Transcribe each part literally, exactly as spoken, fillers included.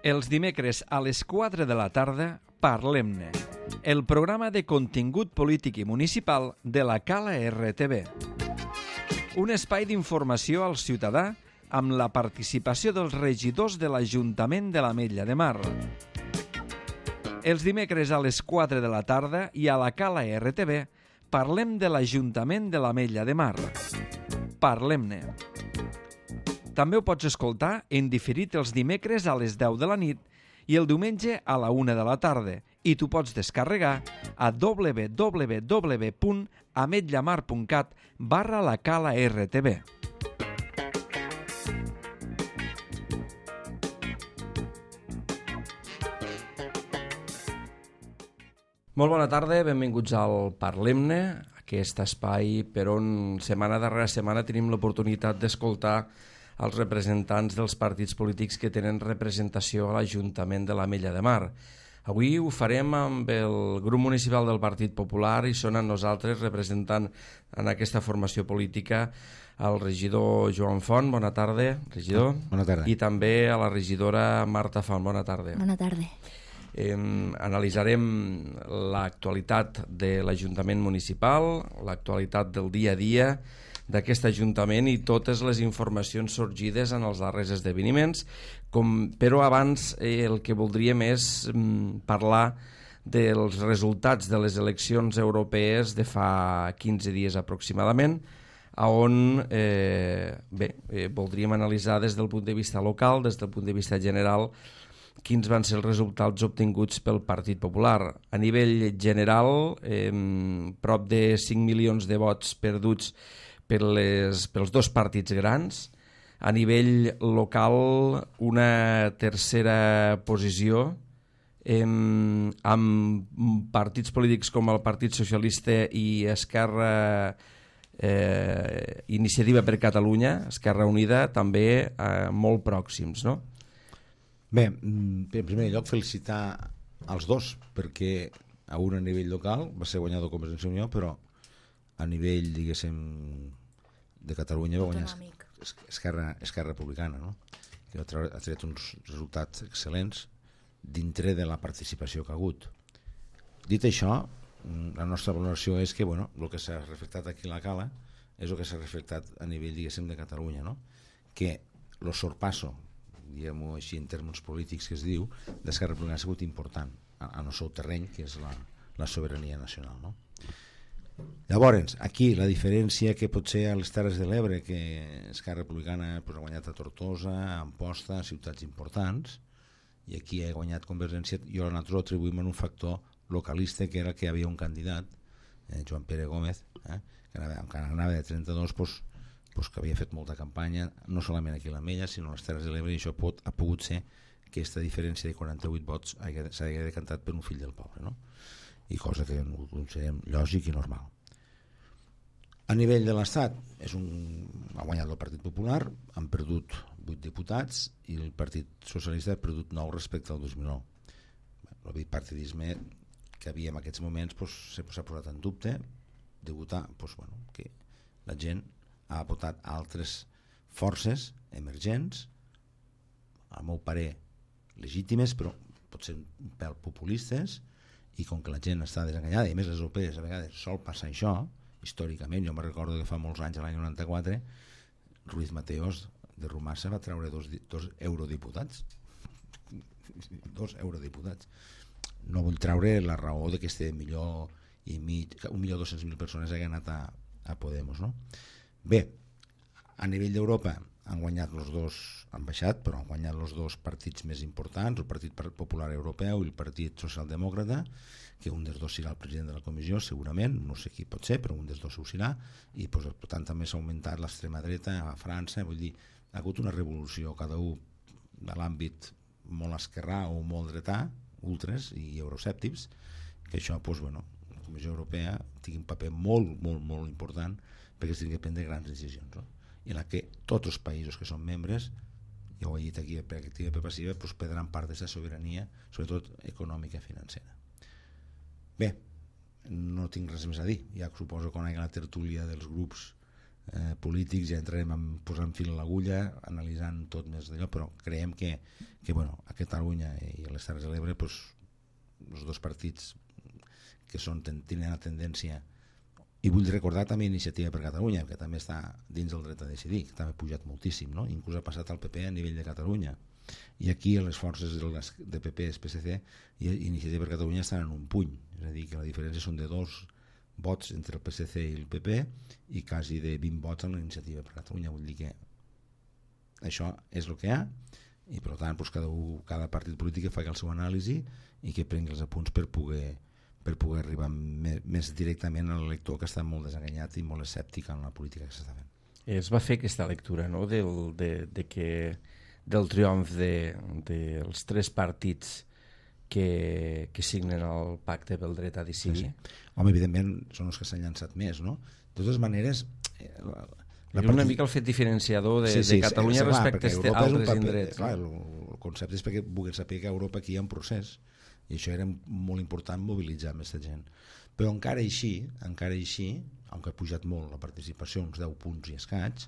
Els dimecres a les quatre de la tarda, Parlem-ne, el programa de contingut polític i municipal de la Cala R T V. Un espai d'informació al ciutadà amb la participació dels regidors de l'Ajuntament de l'Ametlla de Mar. Els dimecres a les quatre de la tarda i a la Cala R T V parlem de l'Ajuntament de l'Ametlla de Mar. Parlem-ne. També ho pots escoltar en diferit els dimecres a les deu de la nit i el diumenge a la una de la tarda i t'ho pots descarregar a w w w punt ametllamar punt cat barra la Cala R T V. Molt bona tarda, benvinguts al Parlem-ne, aquest espai per on setmana darrere setmana tenim l'oportunitat d'escoltar els representants dels partits polítics que tenen representació a l'Ajuntament de l'Ametlla de Mar. Avui ho farem amb el grup municipal del Partit Popular i són amb nosaltres representant en aquesta formació política el regidor Joan Font, bona tarda, regidor. Bona tarda. I també a la regidora Marta Font, bona tarda. Bona tarda. Eh, analitzarem l'actualitat de l'Ajuntament municipal, l'actualitat del dia a dia d'aquest Ajuntament i totes les informacions sorgides en els darrers esdeveniments, com, però abans eh, el que voldríem és mm, parlar dels resultats de les eleccions europees de fa quinze dies aproximadament, on eh, bé, eh, voldríem analitzar des del punt de vista local, des del punt de vista general, quins van ser els resultats obtinguts pel Partit Popular. A nivell general, eh, prop de cinc milions de vots perduts per les, pels dos partits grans. A nivell local, una tercera posició eh, amb partits polítics com el Partit Socialista i Esquerra eh, Iniciativa per Catalunya, Esquerra Unida, també eh, molt pròxims, no? Bé, en primer lloc felicitar els dos, perquè a un a nivell local va ser guanyador Convergència i Unió, però a nivell, diguéssim, de Catalunya va guanyar Esquerra, Esquerra Republicana, no? Que ha tret uns resultats excel·lents dintre de la participació que ha hagut. Dit això, la nostra valoració és que, bueno, el que s'ha reflectat aquí a la Cala és el que s'ha reflectat a nivell, diguéssim, de Catalunya, no? Que el sorpasso, diguem-ho així en termes polítics que es diu, d'Esquerra Republicana ha sigut important en el seu terreny, que és la, la sobirania nacional, no? Llavors, aquí la diferència que pot ser a les Terres de l'Ebre, que Esquerra Republicana pues, ha guanyat a Tortosa, a Amposta, ciutats importants, i aquí ha guanyat Convergència, i nosaltres ho atribuïm en un factor localista, que era que hi havia un candidat, eh, Joan Pere Gómez, eh, que anava, encara anava de trenta-dos, pues, pues, que havia fet molta campanya, no solament aquí a l'Ametlla, sinó a les Terres de l'Ebre, i això pot, ha pogut ser que aquesta diferència de quaranta-vuit vots s'hagi decantat per un fill del poble, no? I cosa que ho considerem lògic i normal. A nivell de l'Estat és un, ha guanyat el Partit Popular, han perdut vuit diputats i el Partit Socialista ha perdut nou respecte al dos mil nou. El bipartidisme que havia en aquests moments pues, s'ha posat en dubte de votar pues, bueno, que la gent ha votat altres forces emergents, al meu parer legítimes, però potser un pèl populistes, i com que la gent està desenganyada, i a més les europees a vegades sol passar això, històricament, jo me recordo que fa molts anys, l'any noranta-quatre, Ruiz Mateos de Rumassa va treure dos, dos eurodiputats. Dos eurodiputats. No vull treure la raó de que este milió i mig, un milió dos-cents mil persones hagin anat a, a Podemos, no? Bé, a nivell d'Europa han guanyat els dos, han baixat, però han guanyat els dos partits més importants, el Partit Popular Europeu i el Partit Socialdemòcrata, que un dels dos serà el president de la comissió, segurament, no sé qui pot ser, però un dels dos ho serà, i pues, per tant també s'ha augmentat l'extrema dreta a França, vull dir, ha hagut una revolució, cada un de l'àmbit molt esquerrà o molt dretà, ultres i euroscèptics, que això, pues, bueno, la Comissió Europea tingui un paper molt, molt, molt important perquè es tingui que prendre grans decisions, no? I en la que tots els països que són membres, ja ho he dit aquí per activa i per passiva, pues, perdran part d'aquesta sobirania, sobretot econòmica i financera. Bé, no tinc res més a dir, ja suposo que quan hi ha la tertúlia dels grups eh, polítics, ja entrarem a posar fil a l'agulla, analitzant tot més d'allò, però creiem que, que bueno, a Catalunya i a les Terres de l'Ebre pues, els dos partits que són, tenen la tendència, i vull recordar també Iniciativa per Catalunya, que també està dins del dret a decidir, que també ha pujat moltíssim, no? Inclús ha passat al P P a nivell de Catalunya, i aquí les forces de P P, P S C i Iniciativa per Catalunya estan en un puny, és a dir, que la diferència són de dos vots entre el P S C i el P P i quasi de vint vots en la Iniciativa per Catalunya. Vull dir que això és el que hi ha i per tant doncs, cada, un, cada partit polític que faci el seu anàlisi i que prengui els apunts per poder, per poder arribar més, més directament al lector que està molt desenganyat i molt escèptic en la política que s'està fent. Es va fer aquesta lectura, no?, del, de, de que, del triomf de, dels tres partits que, que signen el pacte pel dret a decidir. Sí, sí. Home, evidentment són els que s'han llançat més, no? De totes maneres, eh, la, la part... una mica el fet diferenciador de, sí, sí, de Catalunya sí, respecte a altres indrets. Clar, el, el concepte és perquè vulguin saber que a Europa aquí hi ha un procés i això era molt important mobilitzar més gent. Però encara així, encara així, aunque ha pujat molt la participació, uns deu punts i escaig,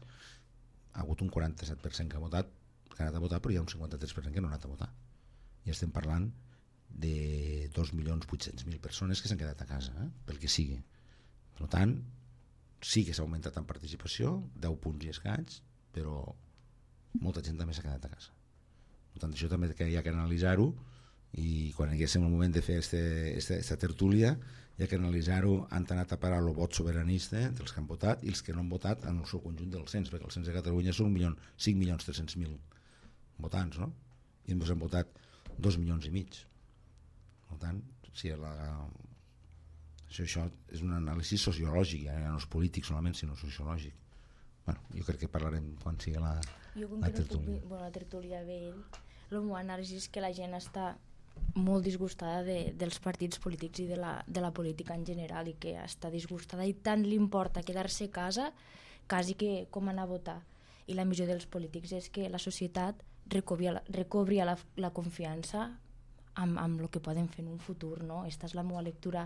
ha hagut un quaranta-set per cent que ha votat, que ha anat a votar, però hi ha un cinquanta-tres per cent que no ha anat a votar. I estem parlant de dos milions vuit-cents mil persones que s'han quedat a casa, eh? Pel que sigui. Per tant, sí que s'ha augmentat en participació, deu punts i escaig, però molta gent també s'ha quedat a casa. Per tant, això també hi ha que analitzar-ho i quan haguéssim el moment de fer aquesta tertúlia hi ha que analitzar-ho, han anat a parar el vot sobiranista dels que han votat i els que no han votat en el seu conjunt del cens, perquè el cens de Catalunya són cinc milions tres-cents mil votants, no? I ens han votat dos milions i mig. Per tant, si la... això, això és un anàlisi sociològic, ja no és polític solament, sinó sociològic. Bueno, jo crec que parlarem quan sigui la, la tertúlia. Jo, bueno, la tertúlia ve ell, el meu anàlisi és que la gent està molt disgustada de, dels partits polítics i de la, de la política en general i que està disgustada i tant li importa quedar-se a casa quasi que com anar a votar. I la missió dels polítics és que la societat recobri la, recobri la, la confiança amb, amb el que poden fer en un futur, no? Esta és la meva lectura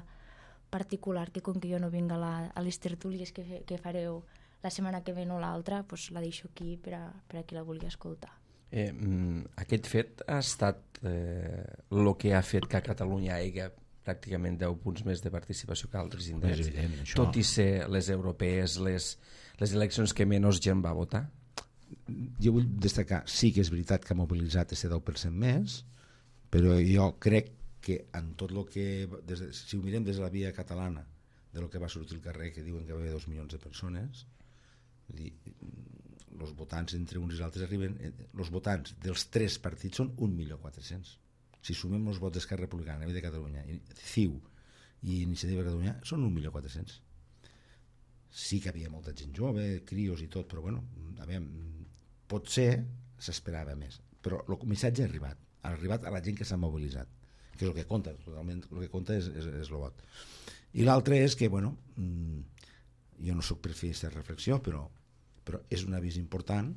particular, que com que jo no vinc a, la, a les tertúlies que, fe, que fareu la setmana que ve o l'altra, pues la deixo aquí per a, per a qui la vulgui escoltar. Eh, aquest fet ha estat el eh, que ha fet que a Catalunya hi hagi pràcticament deu punts més de participació que altres indrets, evident, tot i ser les europees les, les eleccions que menys gent va votar? Jo vull destacar, sí que és veritat que ha mobilitzat aquest deu per cent més, però jo crec que en tot el que, des de, si ho mirem des de la via catalana, de lo que va sortir al carrer, que diuen que va haver dos milions de persones, els votants entre uns i els altres arriben, els votants dels tres partits són un milió quatre-cents. Si sumem els vots d'Esquerra Republicana de Catalunya, C I U i Iniciativa per Catalunya, són un milió quatre-cents. Sí que havia molta gent jove, crios i tot, però bueno, a veure, potser s'esperava més, però el missatge ha arribat. Ha arribat a la gent que s'ha mobilitzat, que és el que compta, totalment el que compta és, és, és el vot. I l'altre és que, bueno, jo no soc per fer aquesta reflexió, però, però és un avís important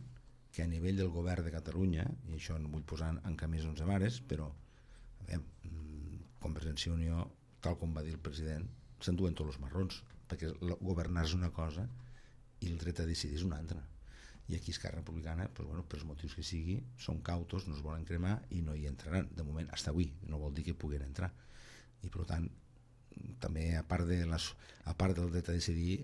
que a nivell del govern de Catalunya, i això no vull posar en camís onze mares, però a veure, Convergència i Unió, tal com va dir el president, s'enduen tots els marrons, perquè governar és una cosa i el dret a decidir és una altra. I aquí Esquerra Republicana, pues bueno, per els motius que sigui, són cautos, no es volen cremar i no hi entraran, de moment, fins avui, no vol dir que puguin entrar. I per tant, també a part, de les, a part del dret a decidir,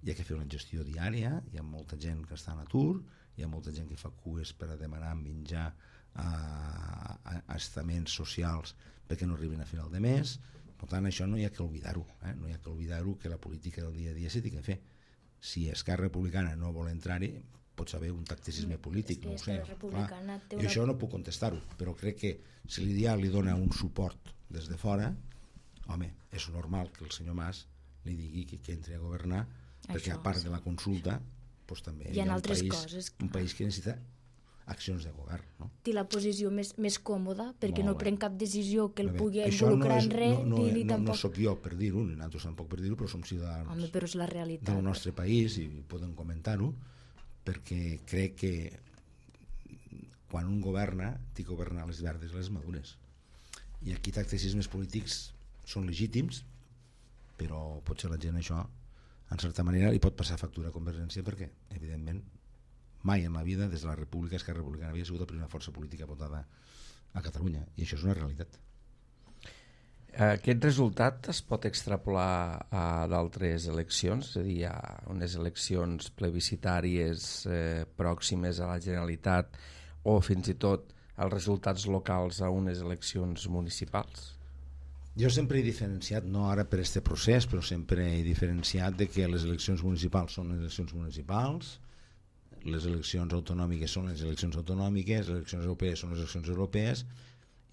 hi ha que fer una gestió diària, hi ha molta gent que està en atur, hi ha molta gent que fa cues per a demanar menjar a, a, a estaments socials perquè no arribin a final de mes. Per tant, això no hi ha que oblidar-ho, eh? No hi ha que oblidar-ho, que la política del dia a dia s'ha de fer. Si Esquerra Republicana no vol entrar-hi, pot saber un tacticisme polític, no ho sé. Clar. Jo això no puc contestar-ho, però crec que si l'Ideal li dona un suport des de fora, home, és normal que el senyor Mas li digui que, que entri a governar, perquè a part de la consulta doncs també hi ha, hi ha un, país, coses, un país que necessita accions de govern, no? Té la posició més, més còmoda perquè Molt no pren cap decisió que el bé, pugui involucrar no és, en res no, no, ni, ni no, tampoc... no sóc jo per dir-ho, ni nosaltres tampoc per dir-ho, però som ciutadans Home, però és la realitat. del nostre país i podem comentar-ho, perquè crec que quan un governa té que governar les verdes i les madures, i aquí tacticismes polítics són legítims, però potser la gent això en certa manera li pot passar factura a Convergència perquè, evidentment, mai en la vida, des de la República, Esquerra Republicana havia sigut la primera força política votada a Catalunya, i això és una realitat. Aquest resultat es pot extrapolar a d'altres eleccions, és a dir, a unes eleccions plebiscitàries eh, pròximes a la Generalitat o fins i tot els resultats locals a unes eleccions municipals? Jo sempre he diferenciat, no ara per este procés, però sempre he diferenciat de que les eleccions municipals són les eleccions municipals, les eleccions autonòmiques són les eleccions autonòmiques, les eleccions europees són les eleccions europees,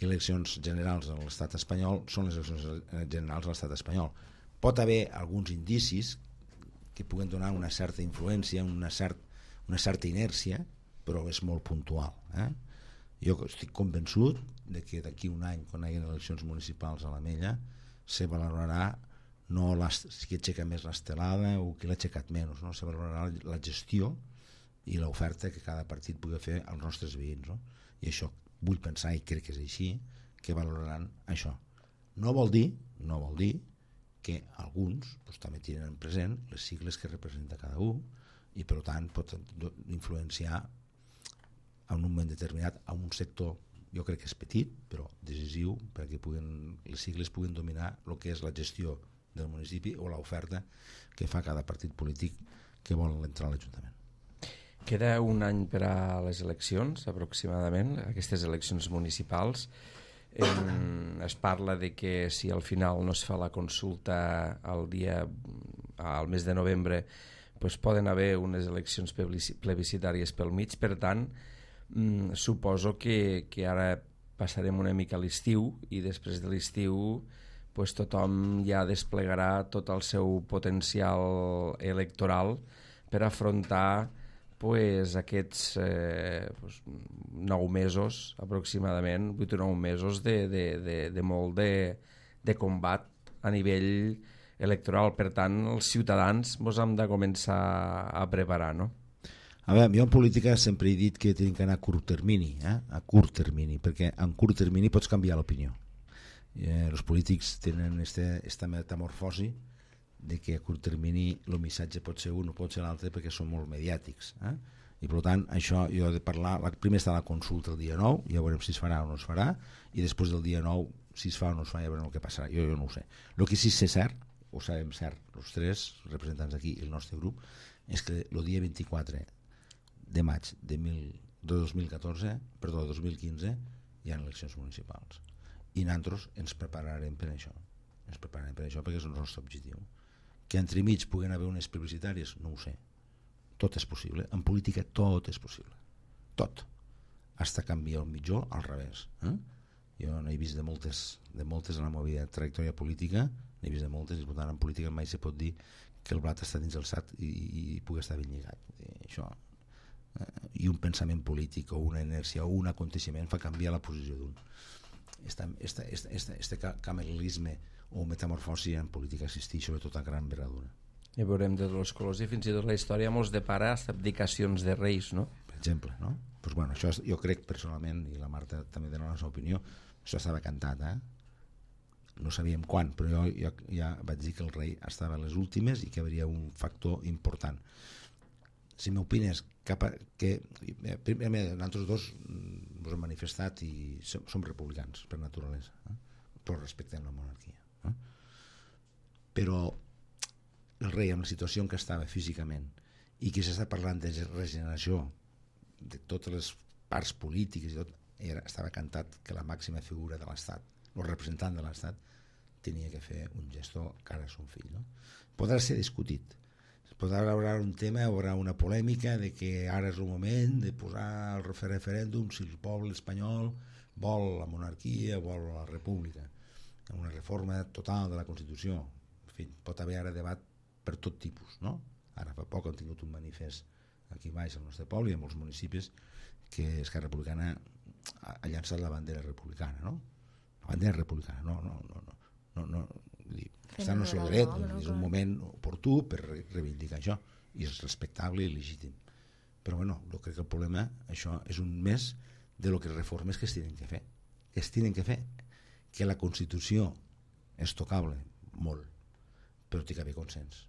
i eleccions generals a l'estat espanyol són les eleccions generals a l'estat espanyol. Pot haver alguns indicis que puguen donar una certa influència, una, cert, una certa inèrcia, però és molt puntual. Eh? Jo estic convençut de que d'aquí un any, quan hi hagi eleccions municipals a l'Ametlla, se valorarà no les, qui aixeca més l'estelada o qui l'ha aixecat menys, no? Se valorarà la gestió i l'oferta que cada partit pugui fer als nostres veïns, no? I això vull pensar, i crec que és així, que valoraran això. No vol dir, no vol dir que alguns doncs, també tenen present les sigles que representa cada un i per tant pot influenciar en un moment determinat a un sector, jo crec que és petit però decisiu perquè puguen, les sigles puguin dominar el que és la gestió del municipi o l'oferta que fa cada partit polític que vol entrar a l'Ajuntament. Queda un any per a les eleccions, aproximadament, aquestes eleccions municipals. En, es parla de que si al final no es fa la consulta al dia, al mes de novembre, pues poden haver unes eleccions plebiscitàries pel mig. Per tant, mm, suposo que, que ara passarem una mica a l'estiu i després de l'estiu pues tothom ja desplegarà tot el seu potencial electoral per afrontar pues, aquests eh, pues, nou mesos aproximadament, vuit o nou mesos de, de, de, de molt de, de combat a nivell electoral. Per tant, els ciutadans ens hem de començar a preparar, no? A veure, jo en política sempre he dit que tenim que anar a curt termini, eh? a curt termini, perquè en curt termini pots canviar l'opinió. Eh, els polítics tenen este, esta metamorfosi de que a curt termini el missatge pot ser un o pot ser l'altre perquè són molt mediàtics, eh? I per tant això jo he de parlar, la, primer està la consulta el dia nou, ja veurem si es farà o no es farà, i després del dia nou si es fa o no es fa ja veurem el que passarà, jo, jo no ho sé. El que sí sé cert, ho sabem cert els tres representants d'aquí i el nostre grup, és que el dia vint-i-quatre de maig de, mil, de dos mil catorze, perdó, dos mil quinze hi ha eleccions municipals i nosaltres ens prepararem per això, ens prepararem per això perquè és el nostre objectiu. Que entremig puguen haver unes publicitàries, no ho sé. Tot és possible. En política tot és possible. Tot. Hasta canviar el mitjó al revés. Eh? Jo n'he vist de moltes, de moltes en la meva trajectòria política, n'he vist de moltes, i per tant en política mai se pot dir que el blat està dins el sac i, i, i pugui estar ben lligat. I, això, eh? I un pensament polític o una inèrcia o un aconteixement fa canviar la posició d'un. Este, este, este, este, este camelisme o metamorfosi en política existeix, sobretot a gran envergadura. I veurem de tots els colors i fins i tot la història mos depara hasta abdicacions de reis, no? Per exemple, no? Pues bueno, això jo crec personalment, i la Marta també dona la seva opinió, això estava cantat, eh? No sabíem quan, però jo, jo ja vaig dir que el rei estava a les últimes i que hi hauria un factor important. Si m'opines cap a, que eh, primer, nosaltres dos ens hem manifestat i som, som republicans per naturalesa, eh? Però respectem la monarquia. Eh? Però el rei, amb la situació en què estava físicament i que s'està parlant de regeneració de totes les parts polítiques i tot, era, estava cantat que la màxima figura de l'Estat, el representant de l'Estat, tenia que fer un gesto cara a son fill, no? Podrà ser discutit, podrà haver un tema, haurà una polèmica de que ara és el moment de posar el referèndum si el poble espanyol vol la monarquia, vol la república, una reforma total de la Constitució. En fi, pot haver ara debat per tot tipus, no? Ara fa poc hem tingut un manifest aquí baix al nostre poble i en molts municipis que Esquerra Republicana ha llançat la bandera republicana, no? La bandera republicana, no, no, no, no, no, no dir, està en el seu dret, és un moment oportú per reivindicar això i és respectable i legítim. Però bueno, jo crec que el problema, això és un més de lo que reformes que es tenen que fer, que es tenen que fer, que la Constitució és tocable, molt, però té que haver consens.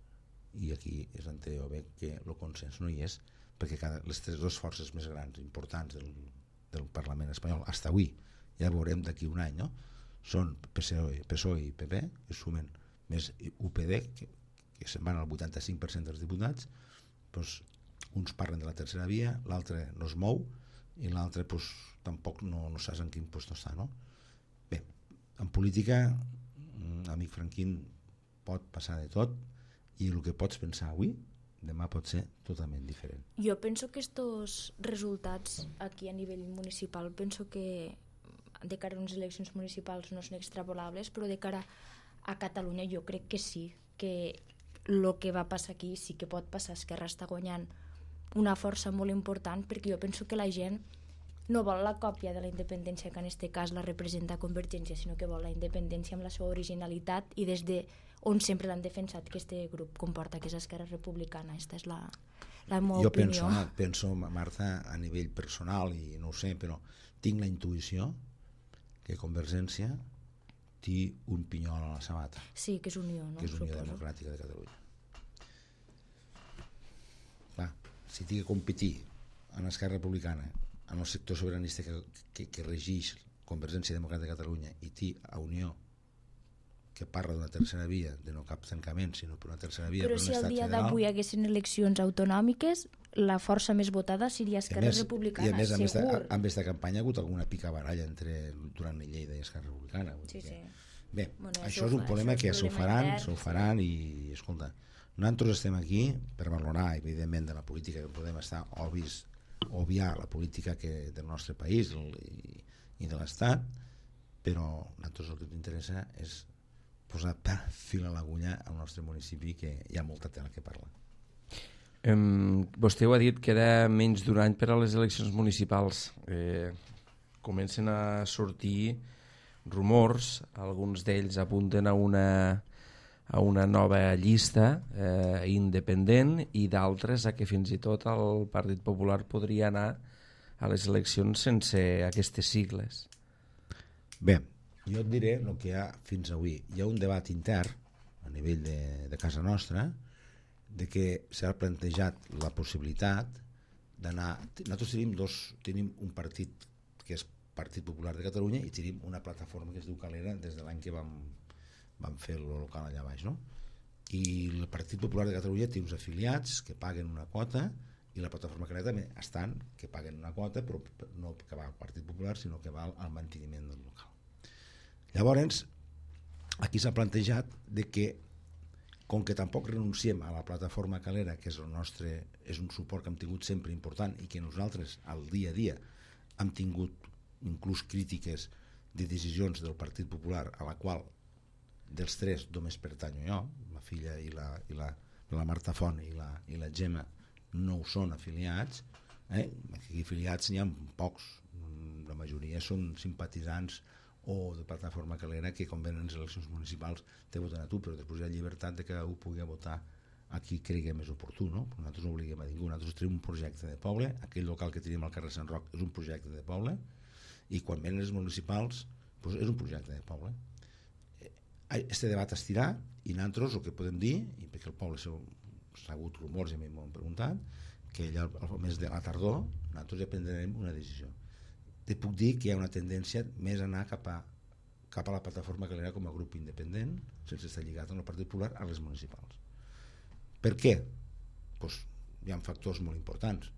i aquí és on jo veig que el consens no hi és, perquè cada, les tres dues forces més grans, importants del, del Parlament espanyol, fins avui, ja veurem d'aquí un any, no? Són P S O E, P S O E i P P, que sumen més U P D, que, que se'n van al vuitanta-cinc per cent dels diputats, doncs, uns parlen de la tercera via, l'altre no es mou, i l'altre doncs, tampoc no, no saps en quin lloc està, no? Bé, en política, amic Franquín, pot passar de tot, i el que pots pensar avui, demà pot ser totalment diferent. Jo penso que estos resultats aquí a nivell municipal, penso que de cara a unes eleccions municipals no són extrapolables, però de cara a Catalunya jo crec que sí, que el que va passar aquí sí que pot passar. Esquerra està guanyant una força molt important, perquè jo penso que la gent no vol la còpia de la independència, que en aquest cas la representa Convergència, sinó que vol la independència amb la seva originalitat i des de on sempre l'han defensat que este grup comporta, que és Esquerra Republicana. Aquesta és la, la meva jo opinió. Jo penso, penso, Marta, a nivell personal, i no ho sé, però tinc la intuïció que Convergència té un pinyol a la sabata. Sí, que és Unió, no? Que és Unió Suposo. Democràtica de Catalunya. Clar, si té que competir en Esquerra Republicana, en el sector sobiranista que, que, que regeix Convergència Democràtica de Catalunya, i té a Unió, que parla d'una tercera via, de no cap tancament, sinó per una tercera via, però per un si el estat dia federal... d'avui haguessin eleccions autonòmiques, la força més votada seria Esquerra més, Republicana, i a més, segur. a més, amb aquesta campanya ha hagut alguna picabaralla entre Duran i Lleida i Esquerra Republicana. Sí, que... sí. Bé, Bueno, això és un problema que s'ho faran, s'ho faran i, escolta, nosaltres estem aquí per valorar, evidentment, de la política, que podem estar obvis, obviar la política que, del nostre país i, i de l'Estat, però a nosaltres el que ens interessa és posar fil a l'agulla al nostre municipi, que hi ha molta tela que parlar. Um, vostè ho ha dit, queda menys d'un any per a les eleccions municipals. Eh, comencen a sortir rumors, alguns d'ells apunten a una, a una nova llista eh, independent, i d'altres a que fins i tot el Partit Popular podria anar a les eleccions sense aquestes sigles. Bé, jo et diré el que hi ha fins avui. Hi ha un debat intern a nivell de, de casa nostra, de que s'ha plantejat la possibilitat d'anar... Nosaltres tenim, dos, tenim un partit que és Partit Popular de Catalunya, i tenim una plataforma que es diu Calera des de l'any que vam, vam fer el local allà baix, no? I el Partit Popular de Catalunya té uns afiliats que paguen una quota, i la plataforma Calera també estan, que paguen una quota, però no que va al Partit Popular, sinó que va al manteniment del local. Llavors, aquí s'ha plantejat de que, com que tampoc renunciem a la plataforma Calera, que és el nostre, és un suport que hem tingut sempre important, i que nosaltres al dia a dia hem tingut inclús crítiques de decisions del Partit Popular, a la qual dels tres només pertanyo jo, la filla i la, i la, la Marta Font i la, i la Gemma no ho són afiliats, eh? Aquí afiliats n'hi ha pocs, la majoria són simpatitzants o de plataforma Calera, que quan venen les eleccions municipals te voten a tu, però després hi ha llibertat de que ho pugui votar a qui cregui més oportú, no? Nosaltres no obliguem a ningú, nosaltres tenim un projecte de poble, aquell local que tenim al carrer Sant Roc és un projecte de poble, i quan venen les municipals doncs és un projecte de poble. Este debat estirà, i nosaltres el que podem dir, i perquè el poble s'ha hagut rumors i a mi m'ho han preguntat, que allà al mes de la tardor nosaltres ja prendrem una decisió. Te puc dir que hi ha una tendència més a anar cap a, cap a la plataforma Calera com a grup independent, sense estar lligat amb el Partit Popular, a les municipals. Per què? Pues hi ha factors molt importants,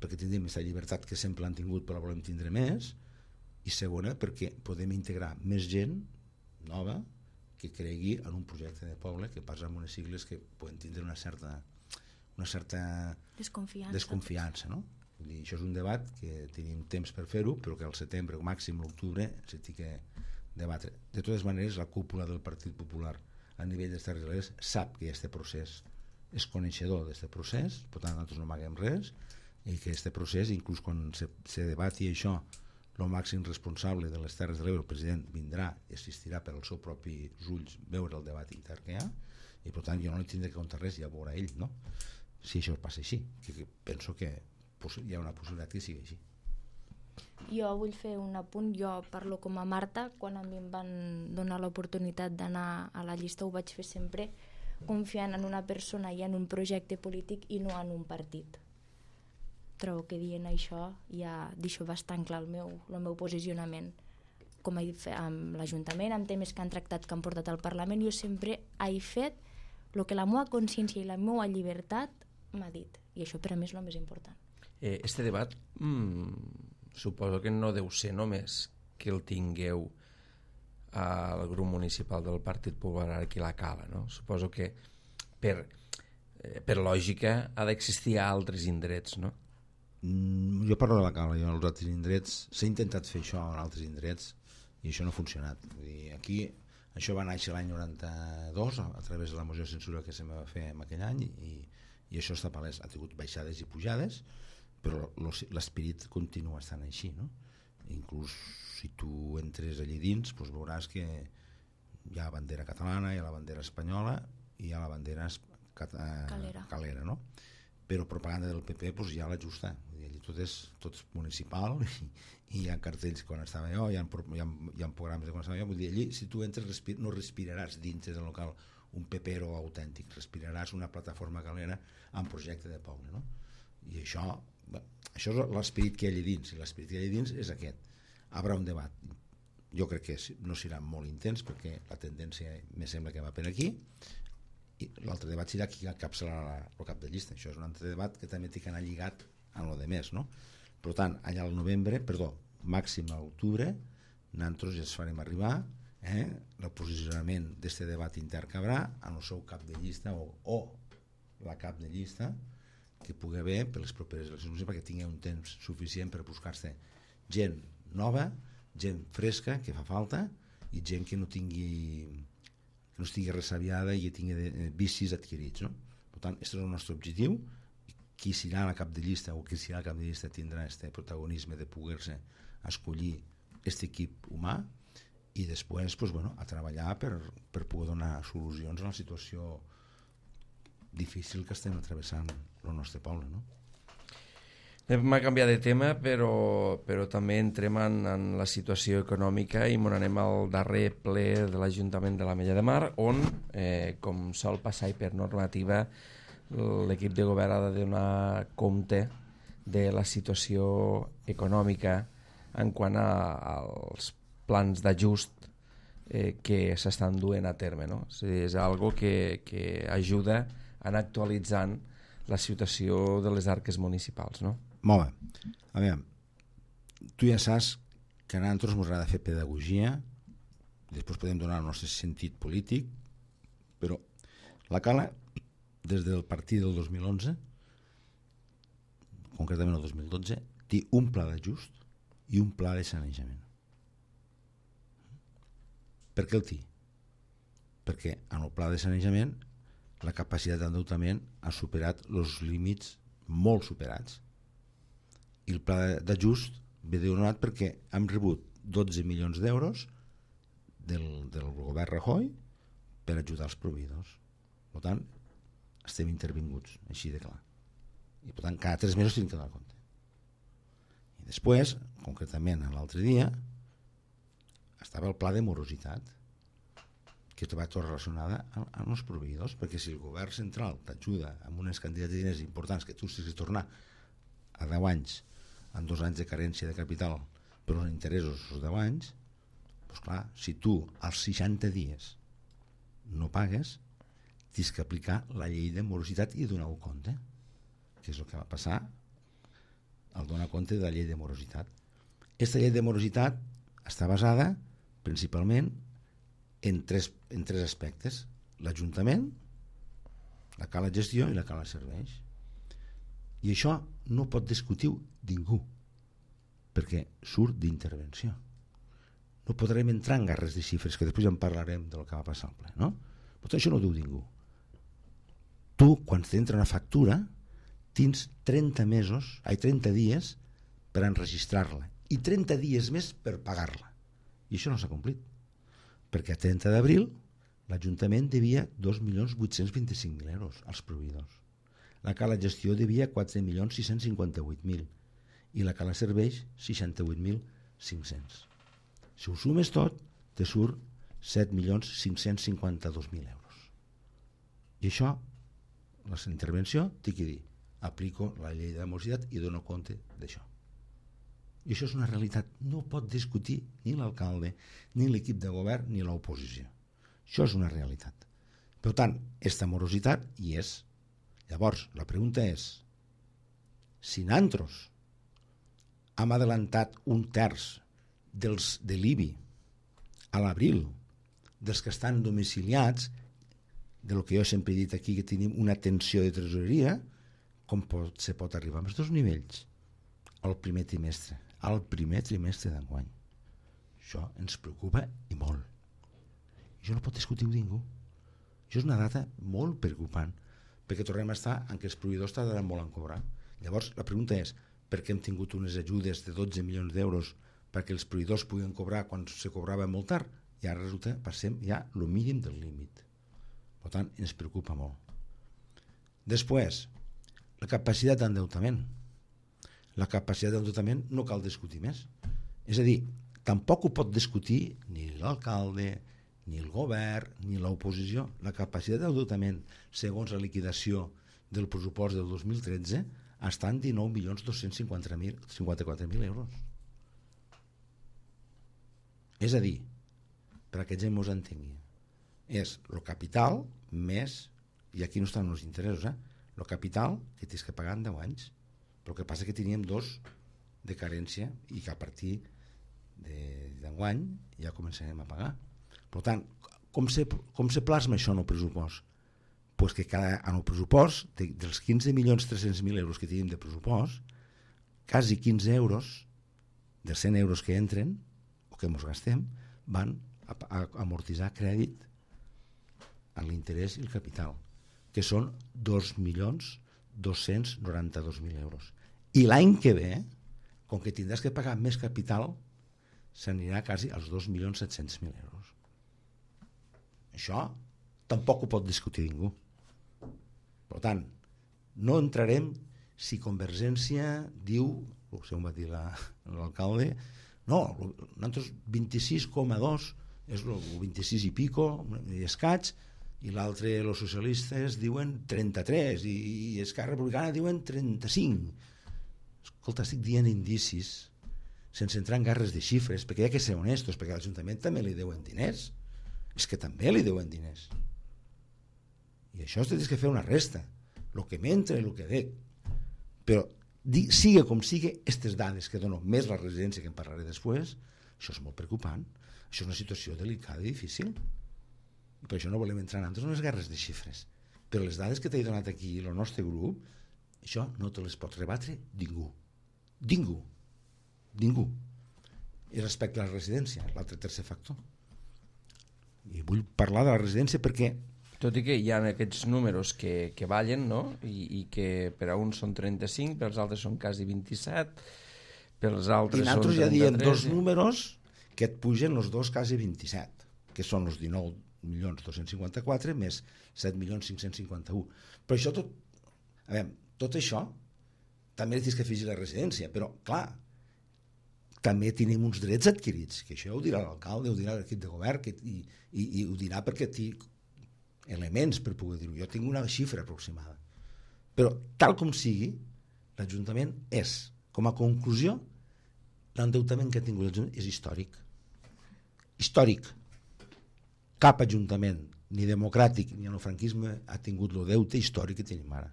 perquè tindrem aquesta llibertat que sempre han tingut però la volem tindre més, i segona perquè podem integrar més gent nova que cregui en un projecte de poble, que passa amb unes sigles que poden tindre una certa una certa desconfiança, desconfiança, no? Vull dir, això és un debat que tenim temps per fer-ho, però que al setembre o màxim l'octubre s'ha de debatre. De totes maneres, la cúpula del Partit Popular a nivell dels Terres de l'Ebre sap que aquest procés és coneixedor d'aquest procés, per tant nosaltres no amaguem res, i que aquest procés, inclús quan se, se debati això, el màxim responsable de les Terres de l'Ebre, el president, vindrà i assistirà per als seus propis ulls veure el debat intern que hi ha, i per tant jo no li tindré que contar res, ja veurà ell, no? Si això passa així, que, que penso que hi ha una possibilitat que sigui així. Jo vull fer un apunt, jo parlo com a Marta, quan a mi em van donar l'oportunitat d'anar a la llista ho vaig fer sempre confiant en una persona i en un projecte polític i no en un partit. Trobo que dient això ja deixo bastant clar el meu, el meu posicionament. Com he fet amb l'Ajuntament, amb temes que han tractat, que han portat al Parlament, jo sempre he fet el que la meva consciència i la meva llibertat m'ha dit. I això per a mi és el més important. Eh, este debat mmm, suposo que no deu ser només que el tingueu al grup municipal del Partit Popular aquí a la Cala, no? Suposo que per, eh, per lògica ha d'existir a altres indrets, no? Mm, jo parlo de la Cala, jo als altres indrets s'ha intentat fer això en altres indrets i això no ha funcionat. Vull dir, aquí això va néixer l'any noranta-dos a, a través de la moció de censura que se va fer en aquell any i, i això està palès. Ha tingut baixades i pujades, però l'esperit continua estant així, no? Inclús si tu entres allí dins, doncs veuràs que hi ha la bandera catalana, hi ha la bandera espanyola i hi ha la bandera calera, calera, no? Però propaganda del P P doncs ja l'ajusta. Allí tot és, tot és municipal i, i hi ha cartells quan estava jo, hi ha, hi ha, hi ha programes de quan estava jo. Vull dir, allí si tu entres respir, no respiraràs dintre del local un pepero autèntic, respiraràs una plataforma calera amb projecte de poble, no? I això, bé, això és l'esperit que hi ha allà dins, i l'esperit que hi ha allà dins és aquest. Haurà un debat, jo crec que no serà molt intens perquè la tendència me sembla que va per aquí, i l'altre debat serà qui encapçalarà el cap de llista. Això és un altre debat que també té que anar lligat amb el de més, no? Per tant, allà al novembre, perdó, màxim a l'octubre, nosaltres ja es farem arribar eh, el posicionament d'aquest debat intern que haurà en el seu cap de llista o, o la cap de llista que pugui haver per les properes eleccions perquè tingui un temps suficient per buscar-se gent nova, gent fresca que fa falta i gent que no tingui que no estigui ressabiada i que tingui de, vicis adquirits, no? Per tant, aquest és el nostre objectiu. Qui serà la cap de llista o qui serà la cap de llista tindrà aquest protagonisme de poder-se escollir aquest equip humà i després pues, bueno, a treballar per, per poder donar solucions a la situació difícil que estem travessant el nostre poble, no? M'ha canviat de tema, però, però també entrem en, en la situació econòmica i m'on anem al darrer ple de l'Ajuntament de l'Ametlla de Mar, on, eh, com sol passar i per normativa, l'equip de govern ha de donar compte de la situació econòmica en quant a, als plans d'ajust eh, que s'estan duent a terme, no? O sigui, és algo que, que ajuda a anar actualitzant la situació de les arques municipals, no? Molt bé. A veure, tu ja saps que a nosaltres ens agrada fer pedagogia, després podem donar el nostre sentit polític, però la Cala, des del partit del dos mil onze, concretament el dos mil dotze, té un pla d'ajust i un pla de sanejament. Per què el té? Perquè en el pla de sanejament la capacitat d'endeutament ha superat els límits molt superats i el pla d'ajust ve donat perquè hem rebut dotze milions d'euros del, del govern Rajoy per ajudar els proveïdors. Per tant, estem intervinguts, així de clar. I per tant, cada tres mesos tenim que donar compte. I després, concretament l'altre dia, estava el pla de morositat, que va tot relacionada amb els proveïdors, perquè si el govern central t'ajuda amb unes quantitats de diners importants que tu has de tornar a deu anys, en dos anys de carència de capital per uns interessos els deu anys, doncs clar, si tu als seixanta dies no pagues, tens que aplicar la llei de morositat i donar-ho compte, que és el que va passar al donar compte de la llei de morositat. Aquesta llei de morositat està basada principalment en tres, en tres aspectes: l'Ajuntament, la Cala Gestió i la Cala Serveis. I això no pot discutir ningú, perquè surt d'intervenció. No podrem entrar en guerres de xifres, que després ja en parlarem del que va passar al ple, no? Per tant, això no ho diu ningú. Tu, quan t'entra una factura, tens trenta mesos, ai, trenta dies per enregistrar-la i trenta dies més per pagar-la. I això no s'ha complit, perquè a trenta d'abril l'Ajuntament devia dos milions vuit-cents vint-i-cinc mil euros als proveïdors. La Cala Gestió devia quatre milions sis-cents cinquanta-vuit mil i la Cala Serveis seixanta-vuit mil cinc-cents. Si ho sumes tot, te surt set milions cinc-cents cinquanta-dos mil euros. I això, la intervenció, té que dir, aplico la llei de morositat i dono compte d'això. I això és una realitat. No pot discutir ni l'alcalde, ni l'equip de govern, ni l'oposició. Això és una realitat. Per tant, aquesta morositat hi és. Llavors, la pregunta és, si nosaltres hem adelantat un terç dels de l'I B I a l'abril, dels que estan domiciliats, del que jo sempre he dit aquí, que tenim una tensió de tresoreria, com pot, se pot arribar als dos nivells al primer trimestre, al primer trimestre d'enguany. Això ens preocupa i molt. Això no pot discutir-ho ningú. Això és una data molt preocupant, perquè tornem a estar en què els proveïdors tardaran molt en cobrar. Llavors, la pregunta és, per què hem tingut unes ajudes de dotze milions d'euros perquè els proveïdors puguen cobrar quan se cobrava molt tard? I ara resulta que passem ja el mínim del límit. Per tant, ens preocupa molt. Després, la capacitat d'endeutament. La capacitat d'endeutament no cal discutir més. És a dir, tampoc ho pot discutir ni l'alcalde, ni el govern, ni l'oposició. La capacitat d'endeutament, segons la liquidació del pressupost del dos mil tretze, està en dinou milions dos-cents cinquanta-quatre mil euros. És a dir, per a que gent mos entengui, és el capital més, i aquí no estan els interessos, eh? el capital que tens que pagar en deu anys. Però el que passa que teníem dos de carència i que a partir d'enguany ja començarem a pagar. Per tant, com se, com se plasma això en el pressupost? Pues que cada, en el pressupost, de, dels quinze milions tres-cents mil euros que tenim de pressupost, quasi quinze euros, de cent euros que entren, o que ens gastem, van a, a amortitzar crèdit en l'interès i el capital, que són dos milions dos-cents noranta-dos mil euros. I l'any que ve, com que tindràs que pagar més capital, s'anirà quasi als dos milions set-cents mil euros. Això tampoc ho pot discutir ningú. Per tant, no entrarem si Convergència diu, segons va dir l'alcalde, no, nosaltres vint-i-sis coma dos és el vint-i-sis i pico i escaig, i l'altre, els socialistes diuen trenta-tres i, i Esquerra Republicana diuen trenta-cinc. Escolta, estic dient indicis sense entrar en guerres de xifres, perquè hi ha que ser honestos, perquè l'Ajuntament també li deuen diners. És que també li deuen diners. I això tens que fer una resta, el que m'entra i el que dec. Però siga com siga, aquestes dades que dono, més la residència que en parlaré després, això és molt preocupant. Això és una situació delicada i difícil. I per això no volem entrar en les guerres de xifres. Però les dades que t'he donat aquí el nostre grup, això no te les pot rebatre ningú. Ningú. Ningú. I respecte a la residència, l'altre tercer factor. I vull parlar de la residència perquè... Tot i que hi ha aquests números que, que ballen, no? I, i que per a uns són trenta-cinc, per als altres són quasi vint-i-set, per als altres són trenta-tres... I nosaltres ja diem dos números que et pugen els dos quasi vint-i-set, que són els dinou milions dos-cents cinquanta-quatre més set milions cinc-cents cinquanta-un. Però això tot... A veure, tot això també li tens que afegir la residència, però, clar, també tenim uns drets adquirits, que això ho dirà l'alcalde, ho dirà l'equip de govern, que, i, i, i ho dirà perquè té elements per poder dir-ho. Jo tinc una xifra aproximada. Però, tal com sigui, l'Ajuntament és, com a conclusió, l'endeutament que ha tingut l'Ajuntament és històric. Històric. Cap Ajuntament, ni democràtic ni en el franquisme, ha tingut el deute històric que tenim ara.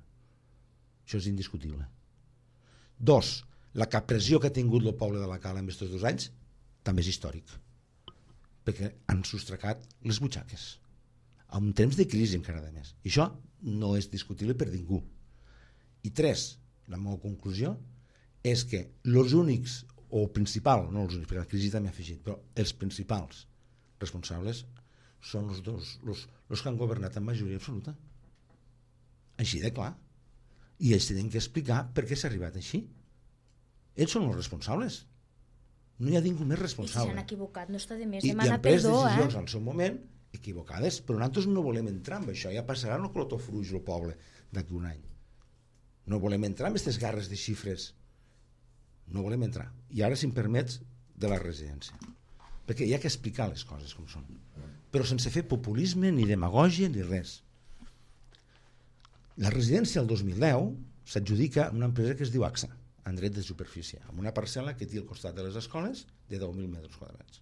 Això és indiscutible. Dos, la pressió que ha tingut el poble de la Cala en aquests dos anys també és històric, perquè han sostracat les butxaques en temps de crisi encara de més, i això no és discutible per ningú. I tres, la meva conclusió és que els únics, o principal, no els únics, perquè la crisi també ha afegit, però els principals responsables són els dos, els, els que han governat en majoria absoluta, així de clar, i ells tenen que explicar per què s'ha arribat així. Ells són els responsables, no hi ha ningú més responsable. I si s'han equivocat no està de més I, demanar perdó, i han pres perdó, decisions eh? al seu moment equivocades, però nosaltres no volem entrar en això, ja passarà el clotofruix el poble d'aquí un any. No volem entrar en aquestes guerres de xifres, no volem entrar. I ara, si em permets, de la residència, perquè hi ha que explicar les coses com són, però sense fer populisme ni demagògia ni res. La residència el dos mil deu s'adjudica a una empresa que es diu AXA, en dret de superfície, amb una parcel·la que té al costat de les escoles de deu mil metres quadrats.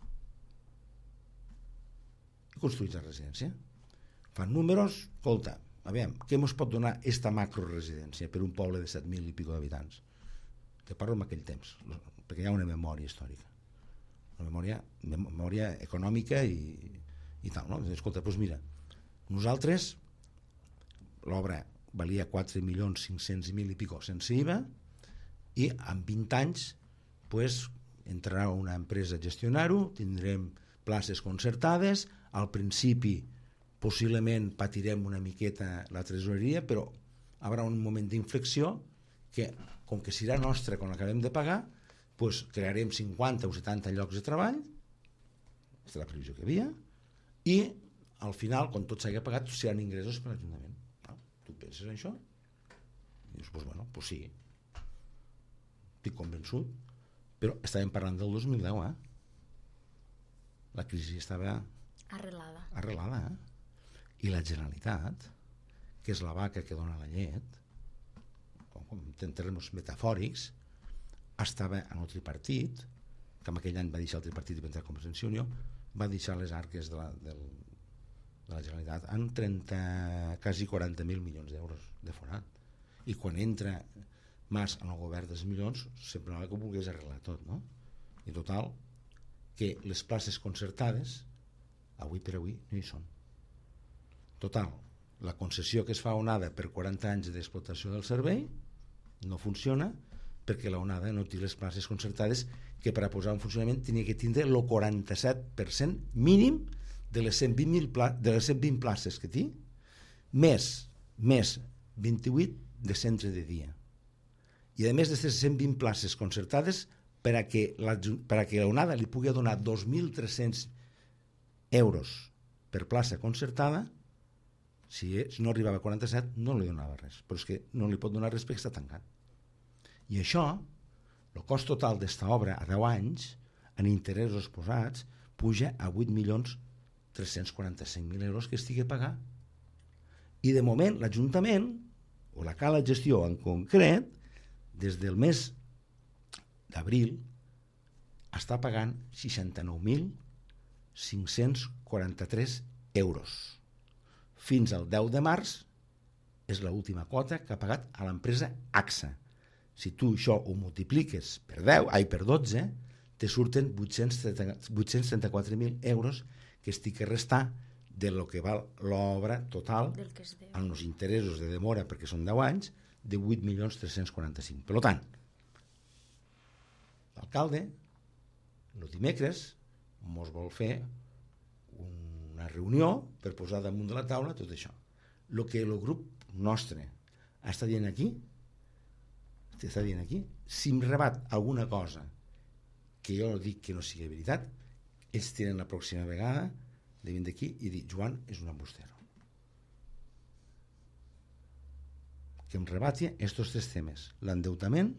I construïts la residència. Fan números, escolta, a veure, què ens pot donar esta macroresidència per un poble de set mil i pico d'habitants? Que parlo en aquell temps, perquè hi ha una memòria històrica, una memòria, memòria econòmica i, i tal, no? Escolta, doncs mira, nosaltres l'obra valia quatre milions cinc-cents mil i pico sense I V A, i en vint anys pues, entrarà una empresa a gestionar-ho, tindrem places concertades, al principi possiblement patirem una miqueta la tresoreria, però hi haurà un moment d'inflexió que, com que serà nostra quan l'acabem de pagar, pues, crearem cinquanta o setanta llocs de treball, aquesta és la previsió que hi havia, i al final, quan tot s'hagi pagat, seran ingressos per l'Ajuntament. No? Tu penses en això? I dius, pues, bueno, pues sí, estic convençut, però estàvem parlant del dos mil deu, eh? La crisi estava arrelada, arrelada eh? I la Generalitat, que és la vaca que dona la llet, com en termes metafòrics, estava en el tripartit, que en aquell any va deixar el tripartit i va entrar a Convergència i Unió, va deixar les arques de la, del, de la Generalitat en trenta, quasi quaranta mil milions d'euros de forat. I quan entra Mas en el govern dels milions, semblava que ho volgués arreglar tot, no? I total, que les places concertades, avui per avui, no hi són. Total, la concessió que es fa a Onada per quaranta anys d'explotació del servei no funciona perquè la Onada no té les places concertades que per a posar en funcionament tenia que tindre el quaranta-set per cent mínim de les cent vint mil pla- de les cent vint places que té, més, més vint-i-vuit de centre de dia. I a més d'aquestes cent vint places concertades, per a que la, per a que la Onada li pugui donar dos mil tres-cents euros per plaça concertada, si, si no arribava a quaranta-set no li donava res, però és que no li pot donar res perquè està tancat. I això, el cost total d'esta obra a deu anys, en interessos posats, puja a vuit milions tres-cents quaranta-cinc mil euros que estigui a pagar. I de moment l'Ajuntament, o la Cala de Gestió en concret, des del mes d'abril està pagant seixanta-nou mil cinc-cents quaranta-tres euros. Fins al deu de març és l'última quota que ha pagat a l'empresa AXA. Si tu això ho multipliques per deu, ai, per dotze, te surten vuit-cents trenta-quatre mil euros que estic a restar de lo que val l'obra total amb els interessos de demora, perquè són deu anys, de vuit milions tres-cents quaranta-cinc. Per tant, l'alcalde, el dimecres, mos vol fer una reunió per posar damunt de la taula tot això. El que el grup nostre està dient aquí, està dient aquí, si em rebat alguna cosa que jo dic que no sigui veritat, ells tenen la pròxima vegada de venir d'aquí i dir, Joan és un embustero. Que em rebati aquests tres temes, l'endeutament,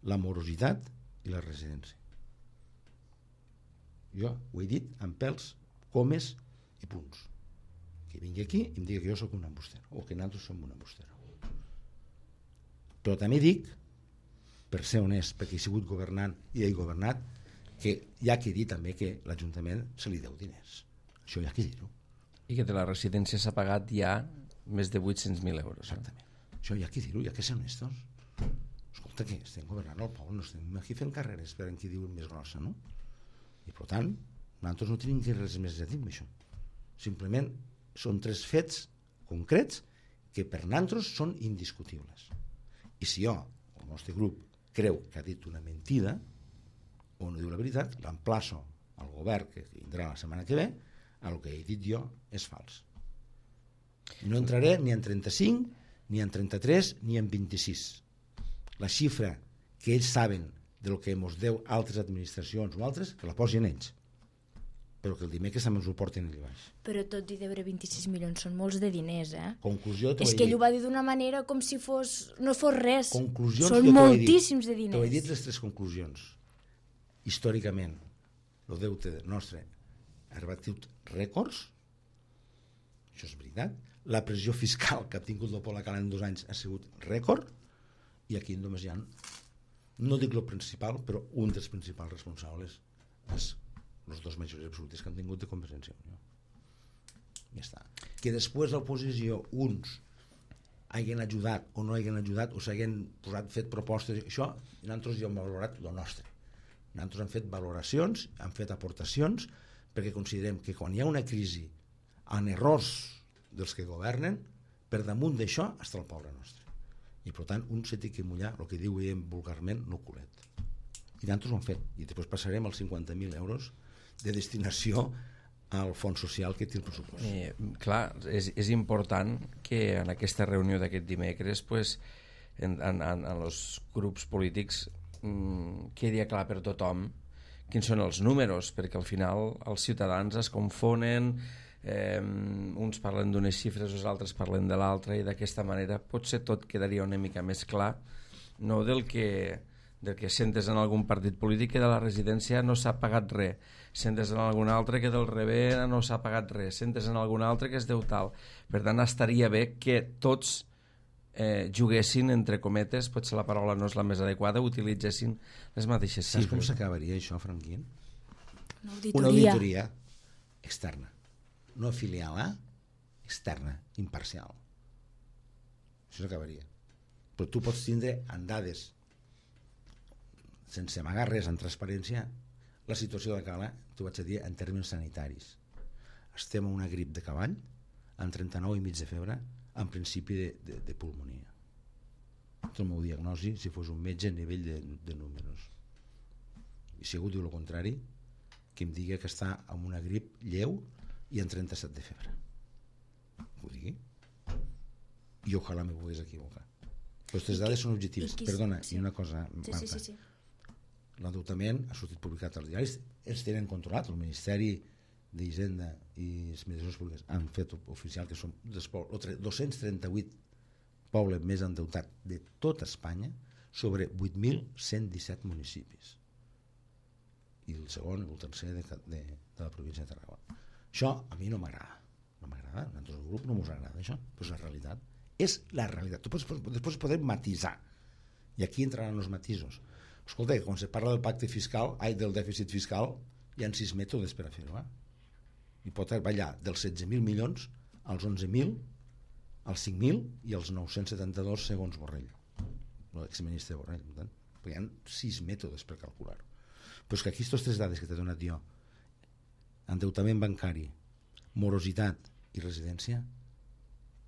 la morositat i la residència. Jo ho he dit amb pèls, comes i punts. Que vingui aquí i em digui que jo sóc un embustero, o que nosaltres som un embustero. Però també dic, per ser honest, perquè he sigut governant i he governat, que hi ha que dir també que l'Ajuntament se li deu diners. Això hi ha que dir-ho. I que de la residència s'ha pagat ja més de vuit-cents mil euros. Exactament. Això hi ha que dir-ho, hi ha que ser honestos. Escolta, que estem governant el poble, no estem aquí fent carreres per en qui diuen més grossa, no? I per tant, nosaltres no tenim que res més a dir amb això. Simplement són tres fets concrets que per nosaltres són indiscutibles. I si jo, el nostre grup, creu que ha dit una mentida o no diu la veritat, l'emplaço al govern que vindrà la setmana que ve, el que he dit jo és fals. No entraré ni en trenta-cinc, ni en trenta-tres, ni en vint-i-sis. La xifra que ells saben del que ens deu altres administracions o altres, que la posin ells. Però que el dimecres també ens ho porten allà baix. Però tot i deure vint-i-sis milions són molts de diners, eh? Conclusió, és que ell ho va dir d'una manera com si fos, no fos res. Conclusions, són moltíssims de diners. T'ho he dit les tres conclusions. Històricament, el deute nostre ha rebatut rècords, això és veritat. la pressió fiscal que ha tingut el poble català en dos anys ha sigut rècord, i aquí només hi ha, no dic el principal, però un dels principals responsables és els dos majories absolutes que han tingut de Convergència i Unió. Ja està. Que després l'oposició, uns hagin ajudat o no hagin ajudat o s'hagin posat, fet propostes, això, i nosaltres ja hem valorat el nostre. Nosaltres hem fet valoracions, hem fet aportacions, perquè considerem que quan hi ha una crisi en errors dels que governen, per damunt d'això està el poble nostre. I per tant, un se té que mullar, el que diuen vulgarment, no culet. I nosaltres ho hem fet. I després passarem als cinquanta mil euros de destinació al fons social que té el pressupost. Eh, clar, és, és important que en aquesta reunió d'aquest dimecres pues, en, en, en, en els grups polítics mmm, quedi clar per tothom quins són els números, perquè al final els ciutadans es confonen, eh, uns parlen d'unes xifres, els altres parlen de l'altra, i d'aquesta manera potser tot quedaria una mica més clar, no del que, del que sentes en algun partit polític que de la residència no s'ha pagat res, sentes en algun altre que del rebé no s'ha pagat res, sentes en algun altre que es deu tal. Per tant, estaria bé que tots eh, juguessin, entre cometes, potser la paraula no és la més adequada, utilitzessin les mateixes xifres. Saps com s'acabaria això, Franquín? Una auditoria. Una auditoria externa, no filial, eh? Externa, imparcial. Això s'acabaria. Però tu pots tindre en dades, sense amagar res, en transparència, la situació de Cala, t'ho vaig a dir, en termes sanitaris. Estem en una grip de cavall, amb trenta-nou i mig de febre, en principi de, de, de pulmonia. Aquest és el meu diagnosi, si fos un metge a nivell de, de números. I si algú diu el contrari, que em digui que està amb una grip lleu i en trenta-set de febre. Ho digui. I ojalà me pogués equivocar. Però aquestes dades són objectives. I qui, Perdona, sí. i una cosa, sí, Marta. sí, sí, sí. L'endeutament ha sortit publicat als diaris, ells tenen controlat, el Ministeri d'Hisenda i les Administracions Públiques han fet oficial que són dos-cents trenta-vuit pobles més endeutats de tota Espanya sobre vuit mil cent disset municipis, i el segon i el tercer de, de, de la província de Tarragona. Això a mi no m'agrada, no m'agrada, a nosaltres el grup no ens agrada això, però és la realitat, és la realitat. Tu pots, després podem matisar, i aquí entraran els matisos. Escolta, quan se parla del pacte fiscal, ai, del dèficit fiscal, hi ha sis mètodes per a fer-ho, eh? I pot ballar dels setze mil milions als onze mil, als cinc mil i als nou-cents setanta-dos segons Borrell, l'exministre Borrell. Perquè hi ha sis mètodes per calcular-ho. Però és que aquí aquestes tres dades que t'he donat jo, endeutament bancari, morositat i residència,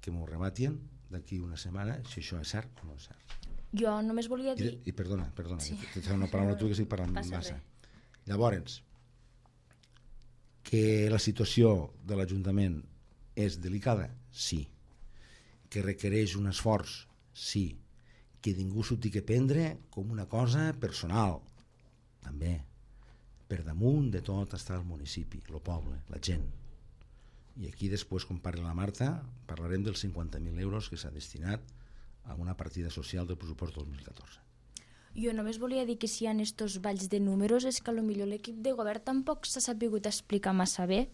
que m'ho rebatien d'aquí una setmana si això és cert o no és cert. Jo només volia dir... I, i perdona, perdona, sí. que t'he una paraula tu que estic parlant Passa massa. res. Llavors, que la situació de l'Ajuntament és delicada? Sí. Que requereix un esforç? Sí. Que ningú s'ho tingui que prendre com una cosa personal? També. Per damunt de tot està el municipi, el poble, la gent. I aquí després, quan parli la Marta, parlarem dels cinquanta mil euros que s'ha destinat a una partida social del pressupost dos mil catorze. Jo només volia dir que si hi ha estos balls de números és que potser l'equip de govern tampoc s'ha sabut explicar massa bé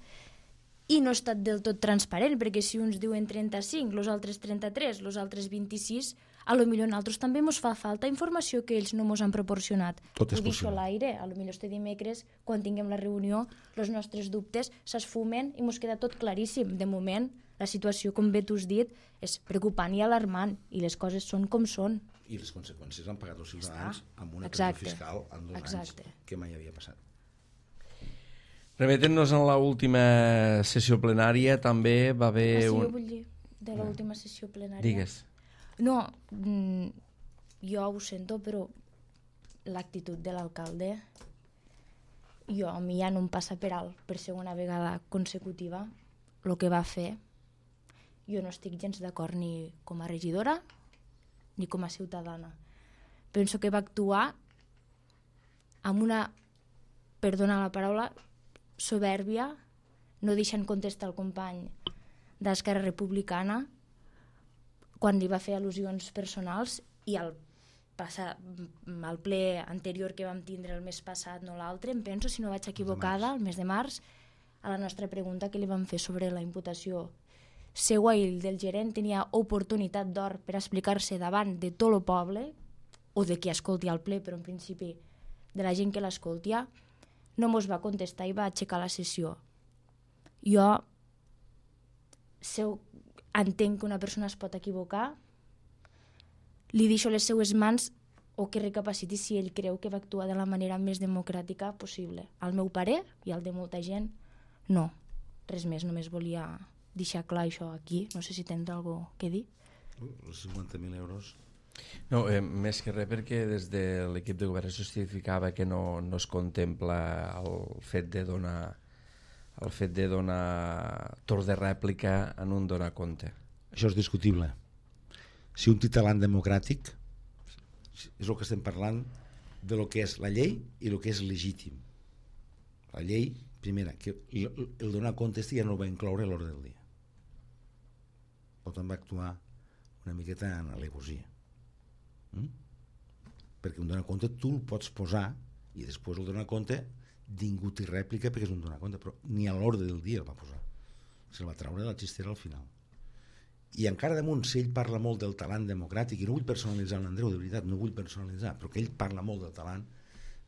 i no ha estat del tot transparent, perquè si uns diuen trenta-cinc, els altres trenta-tres, els altres vint-i-sis, a lo millor a nosaltres també ens fa falta informació que ells no ens han proporcionat. Tot és Ho deixo possible. a l'aire, a lo millor este dimecres, quan tinguem la reunió, els nostres dubtes s'esfumen i ens queda tot claríssim. De moment, la situació, com bé tu has dit, és preocupant i alarmant, i les coses són com són. I les conseqüències han pagat els ciutadans amb una Exacte. pressió fiscal en dos Exacte. anys que mai havia passat. Remetent-nos en l'última sessió plenària, també va haver... Ah, sí, un... jo vull dir, de l'última sessió plenària. Digues. No, mm, jo ho sento, però l'actitud de l'alcalde, jo, a mi ja no em passa per alt per segona vegada consecutiva el que va fer. Jo no estic gens d'acord ni com a regidora ni com a ciutadana. Penso que va actuar amb una, perdona la paraula, soberbia, no deixant contestar el company d'Esquerra Republicana quan li va fer al·lusions personals, i al, passar, al ple anterior que vam tindre el mes passat, no l'altre, em penso, si no vaig equivocada, el mes de març, a la nostra pregunta que li vam fer sobre la imputació seu ell del gerent tenia oportunitat d'or per explicar-se davant de tot el poble, o de qui escolti el ple, però en principi de la gent que l'escoltia, no mos va contestar i va aixecar la sessió. Jo seu, entenc que una persona es pot equivocar, li deixo les seues mans o que recapaciti si ell creu que va actuar de la manera més democràtica possible. Al meu parer i al de molta gent, no. Res més, només volia deixar clar això aquí. No sé si tens alguna cosa que dir. Els cinquanta mil euros... No, eh, més que res perquè des de l'equip de govern es justificava que no, no es contempla el fet de donar el fet de donar torn de rèplica en un donar compte. Això és discutible. Si un té talent democràtic, és el que estem parlant de lo que és la llei i el que és legítim. La llei, primera, que el, el donar compte ja no va incloure a l'ordre del dia. Per tant, va actuar una miqueta en alegosia. Mm? Perquè un donar compte tu el pots posar i després el donar compte ningú té rèplica perquè és un donar compte, però ni a l'ordre del dia el va posar. Se'l va treure de la xistera al final. I encara damunt, si ell parla molt del talent democràtic, i no vull personalitzar l'Andreu, de veritat, no vull personalitzar, però que ell parla molt del talent,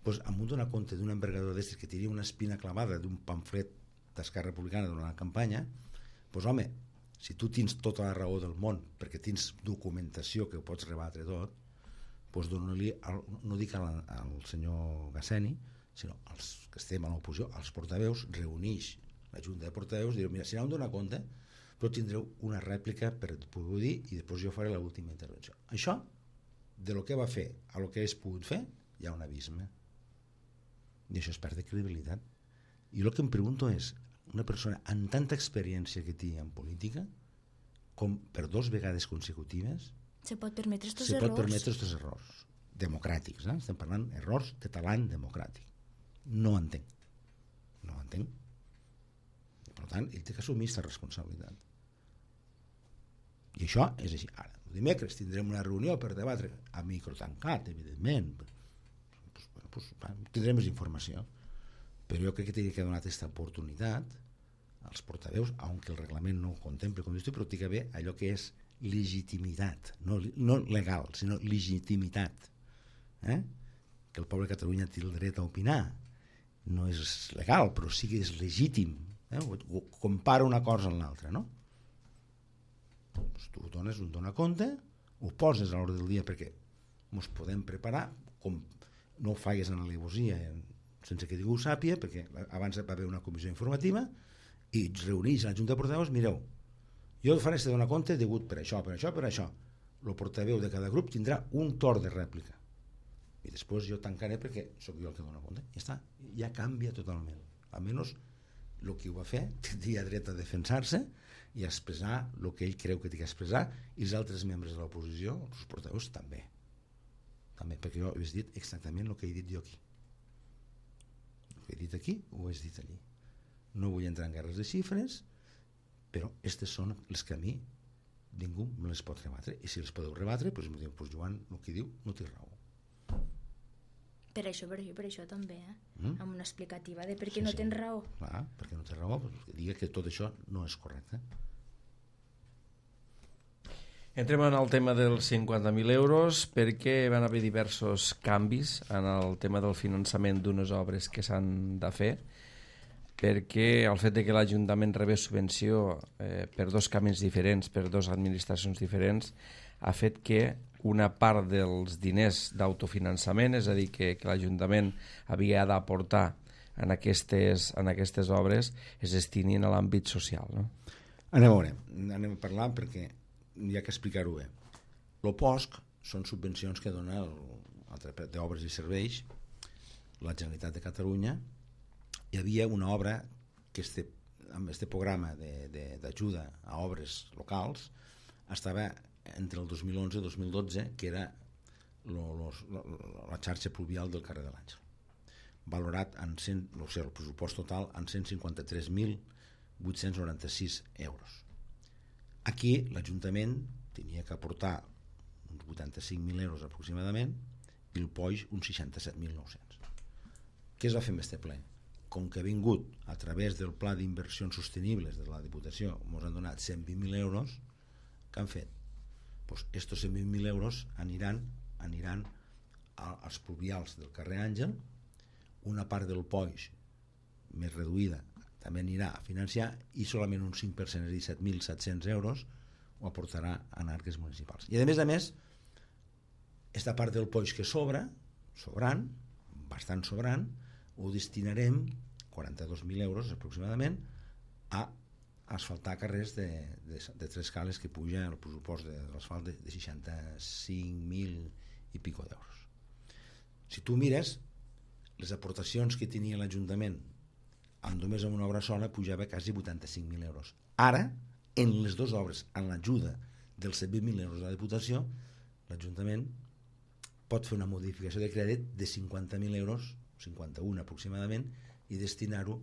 doncs amb un donar compte d'una envergadura d'estes que tenia una espina clavada d'un pamflet d'Esquerra Republicana durant la campanya, doncs home, si tu tens tota la raó del món, perquè tens documentació que ho pots rebatre tot, doncs dona-li, no dic al, al senyor Gasseni, sinó als que estem a l'oposició, als portaveus, reuneix la Junta de Portaveus i diu, mira, si no em dona compte, però tindreu una rèplica per poder dir i després jo faré l'última intervenció. Això, de lo que va fer a lo que és pogut fer, hi ha un abisme. I això es perd de credibilitat. I el que em pregunto és, una persona amb tanta experiència que té en política, com per dos vegades consecutives, se pot permetre estos se errors? pot permetre estos errors democràtics, eh? Estem parlant errors de talent democràtic. No entenc. No entenc. Per tant, ell té que assumir aquesta responsabilitat. I això és així. Ara, el dimecres tindrem una reunió per debatre a micro tancat, evidentment. Pues, bueno, pues, tindrem més informació. Però jo crec que hauria que donar aquesta oportunitat als portaveus, aunque el reglament no ho contemple, com dius tu, però té que haver allò que és legitimitat, no, no legal, sinó legitimitat. Eh? Que el poble de Catalunya té el dret a opinar. No és legal, però sí que és legítim. Eh? Compara una cosa amb l'altra, no? Pues tu dones un donar compte, ho poses a l'ordre del dia perquè ens podem preparar, com no ho faigues en alegosia sense que ningú ho sàpia, perquè abans va haver una comissió informativa i es reuneix a la Junta de Portaveus, mireu, jo faré este donar compte degut per això, per això, per això. El portaveu de cada grup tindrà un torn de rèplica i després jo tancaré perquè sóc jo el que dona compte. Ja està, ja canvia totalment. Almenys el que ho va fer tindria dret a defensar-se i a expressar el que ell creu que té que expressar, i els altres membres de l'oposició, els portaveus, també. També, perquè jo he dit exactament el que he dit jo aquí. El que he dit aquí ho he dit allí. No vull entrar en guerres de xifres, però aquestes són les que a mi ningú me les pot rebatre, i si les podeu rebatre, doncs em diu, pues Joan, el que diu no té raó. Per això, per això, per això també, eh? Mm? Amb una explicativa de per què Sí, no sí. tens raó. Clar, perquè no té raó, doncs que diga que tot això no és correcte. Entrem en el tema dels cinquanta mil euros perquè van haver diversos canvis en el tema del finançament d'unes obres que s'han de fer, perquè el fet de que l'Ajuntament rebés subvenció eh, per dos camins diferents, per dues administracions diferents, ha fet que una part dels diners d'autofinançament, és a dir, que, que l'Ajuntament havia d'aportar en aquestes, en aquestes obres, es destinin a l'àmbit social. No? Anem a veure, anem a parlar perquè hi ha que explicar-ho bé. El P O S C són subvencions que dona d'obres i serveis la Generalitat de Catalunya. Hi havia una obra que este, amb aquest programa d'ajuda a obres locals estava entre el dos mil onze i dos mil dotze, que era lo, los, lo, la xarxa pluvial del carrer de l'Àngel, valorat en cent, o sigui, el pressupost total en cent cinquanta-tres mil vuit-cents noranta-sis euros. Aquí l'Ajuntament tenia que aportar uns vuitanta-cinc mil euros aproximadament i el P O I uns seixanta-set mil nou-cents. Què es va fer amb aquest ple? com que ha vingut a través del pla d'inversions sostenibles de la Diputació, ens han donat cent vint mil euros, què han fet? Pues estos cent vint mil euros aniran, aniran als pluvials del carrer Àngel, una part del Poix més reduïda també anirà a financiar i solament un cinc per cent, és a dir, set mil set-cents euros ho aportarà a arques municipals. I a més a més, esta part del Poix que sobra, sobrant, bastant sobrant, ho destinarem quaranta-dos mil euros aproximadament a asfaltar carrers de, de, de tres cales que puja el pressupost de l'asfalt de, de seixanta-cinc mil i pico d'euros. Si tu mires, les aportacions que tenia l'Ajuntament amb només amb una obra sola pujava quasi vuitanta-cinc mil euros. Ara, en les dues obres, amb l'ajuda dels set mil euros de la Diputació, l'Ajuntament pot fer una modificació de crèdit de cinquanta mil euros, cinquanta-un aproximadament, i destinar-ho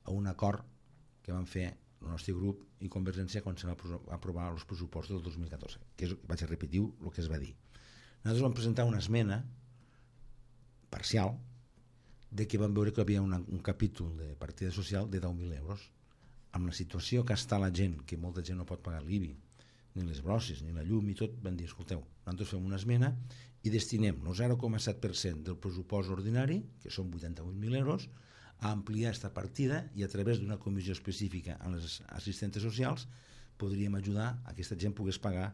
a un acord que van fer el nostre grup i Convergència quan se va aprovar els pressupostos del dos mil catorze, que és, vaig a repetir el que es va dir. Nosaltres vam presentar una esmena parcial de que vam veure que hi havia una, un capítol de partida social de deu mil euros. Amb la situació que està la gent, que molta gent no pot pagar l'I B I, ni les brosses, ni la llum i tot, van dir, escolteu, nosaltres fem una esmena i destinem el zero coma set per cent del pressupost ordinari, que són vuitanta-vuit mil euros, a ampliar aquesta partida i a través d'una comissió específica a les assistentes socials podríem ajudar a que aquesta gent pogués pagar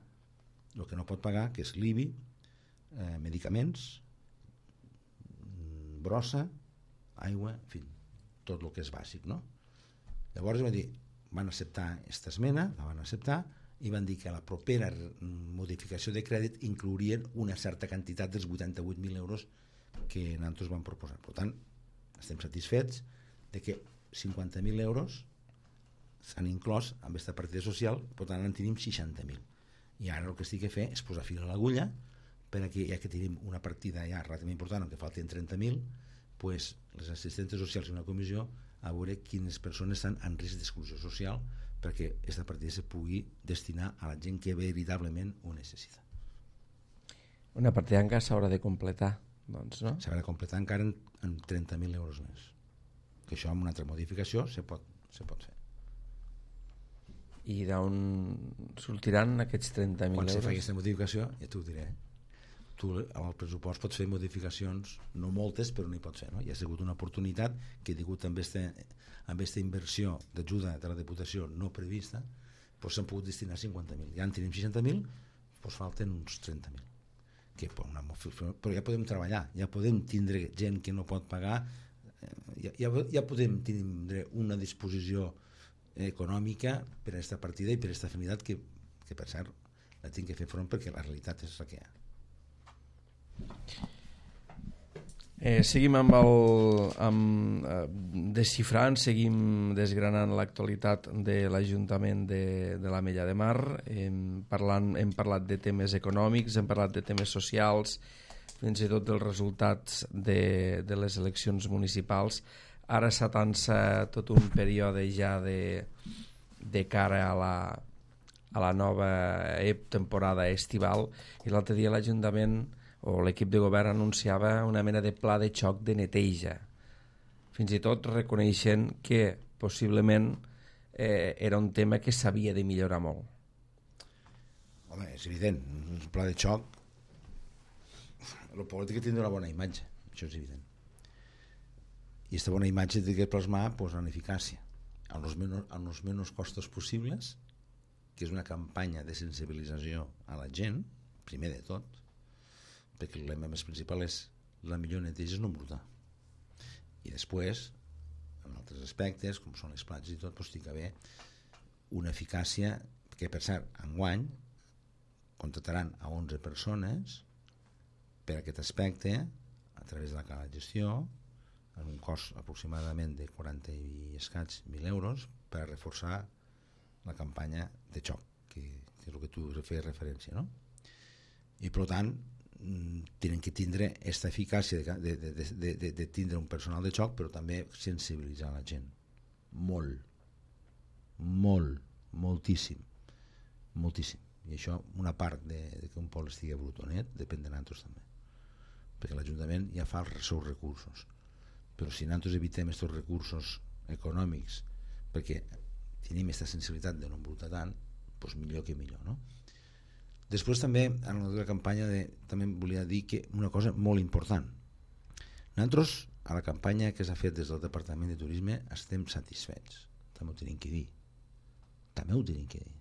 el que no pot pagar, que és l'I B I, eh, medicaments, brossa, aigua, en fi, tot el que és bàsic, no? Llavors van dir, van acceptar aquesta esmena, la van acceptar i van dir que a la propera modificació de crèdit inclourien una certa quantitat dels vuitanta-vuit mil euros que nosaltres vam proposar. Per tant, estem satisfets de que cinquanta mil euros s'han inclòs amb aquesta partida social, per tant en tenim seixanta mil. I ara el que estic a fer és posar fil a l'agulla perquè ja que tenim una partida ja relativament important, que falten trenta mil, pues, les assistentes socials i una comissió a veure quines persones estan en risc d'exclusió social perquè aquesta partida se pugui destinar a la gent que veritablement ho necessita. Una partida encara s'haurà de completar, doncs, no? S'haurà de completar encara en, en trenta mil euros més. Que això amb una altra modificació se pot, se pot fer. I d'on sortiran aquests trenta mil euros? Quan se fa aquesta modificació, ja t'ho diré, tu amb el pressupost pots fer modificacions, no moltes, però n'hi pots fer, no? Hi ha sigut una oportunitat que ha hagut amb aquesta inversió d'ajuda de la Diputació no prevista, doncs s'han pogut destinar cinquanta mil. Ja en tenim seixanta mil, doncs falten uns trenta mil. Que, però ja podem treballar, ja podem tindre gent que no pot pagar, ja, ja, ja podem tindre una disposició econòmica per a aquesta partida i per a aquesta afinitat que, que per cert la tinc que fer front perquè la realitat és la que hi ha. Eh, seguim amb el amb, eh, desxifrant, seguim desgranant l'actualitat de l'Ajuntament de, de l'Ametlla de Mar. Hem, parlant, hem parlat de temes econòmics, hem parlat de temes socials, fins i tot dels resultats de, de les eleccions municipals. Ara s'atança tot un període ja de, de cara a la, a la nova temporada estival, i l'altre dia l'Ajuntament o l'equip de govern anunciava una mena de pla de xoc de neteja, fins i tot reconeixent que possiblement eh, era un tema que s'havia de millorar molt. Home, és evident, un pla de xoc, el polític tindrà una bona imatge, això és evident. I aquesta bona imatge té que plasmar pues, en eficàcia, amb els menys, amb els menys costos possibles, que és una campanya de sensibilització a la gent, primer de tot, perquè el lema més principal és la millor neteja és no embrutar. I després, en altres aspectes, com són les platges i tot, doncs, té que haver una eficàcia que, per cert, enguany contrataran a onze persones per aquest aspecte a través de la cala de gestió en un cost aproximadament de quaranta i escaig mil euros per reforçar la campanya de xoc, que, que és el que tu feies referència, no? I per tant tenen que tindre aquesta eficàcia de, de, de, de, de, de tindre un personal de xoc, però també sensibilitzar la gent molt molt, moltíssim moltíssim, i això una part de, de que un poble estigui brutonet depèn de nosaltres també, perquè l'Ajuntament ja fa els seus recursos, però si nosaltres evitem aquests recursos econòmics perquè tenim aquesta sensibilitat de no embrutar tant, doncs millor que millor, no? Després també, en la campanya de, també volia dir que una cosa molt important. Nosaltres, a la campanya que s'ha fet des del Departament de Turisme, estem satisfets. També ho tenim que dir. També ho tenim que dir.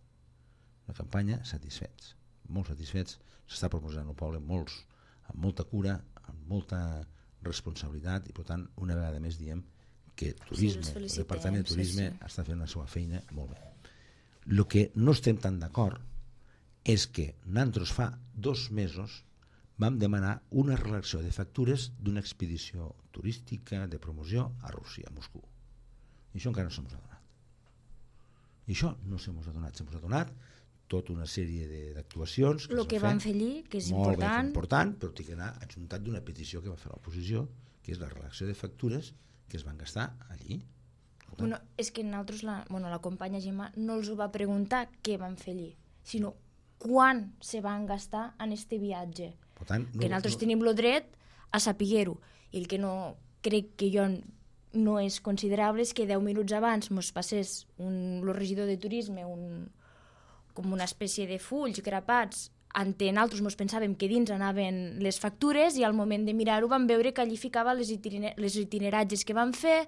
La campanya, satisfets. Molt satisfets. S'està proposant al poble molts, amb molta cura, amb molta responsabilitat, i per tant, una vegada més diem que turisme, sí, el Departament de Turisme sí, sí. està fent la seva feina molt bé. El que no estem tan d'acord és que nosaltres fa dos mesos vam demanar una relació de factures d'una expedició turística de promoció a Rússia, a Moscou. I això encara no se mos ha donat. I això no se mos ha donat. Se mos ha donat tota una sèrie d'actuacions. El que van fer allí, que és important. Molt important, però té que anar adjuntat d'una petició que va fer l'oposició, que és la relació de factures que es van gastar allí. Bueno, és que nosaltres, la, bueno, la companya Gemma no els va preguntar què van fer allí, sinó quan se van gastar en este viatge. Per tant, no, que nosaltres no... tenim el dret a saber-ho. I el que no crec que jo no és considerable és que deu minuts abans mos passés un, el regidor de turisme un, com una espècie de fulls grapats. Ante nosaltres mos pensàvem que dins anaven les factures i al moment de mirar-ho vam veure que allí ficava les, itinera les itineratges que van fer,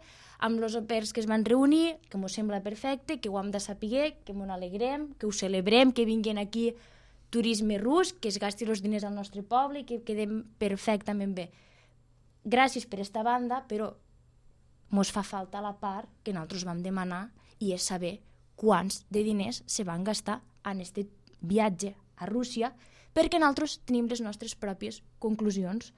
amb els opers que es van reunir, que mos sembla perfecte, que ho hem de saber, que mos alegrem, que ho celebrem, que vinguin aquí turisme rus, que es gasti els diners al nostre poble i que quedem perfectament bé. Gràcies per esta banda, però mos fa falta la part que nosaltres vam demanar i és saber quants de diners se van gastar en este viatge a Rússia, perquè nosaltres tenim les nostres pròpies conclusions.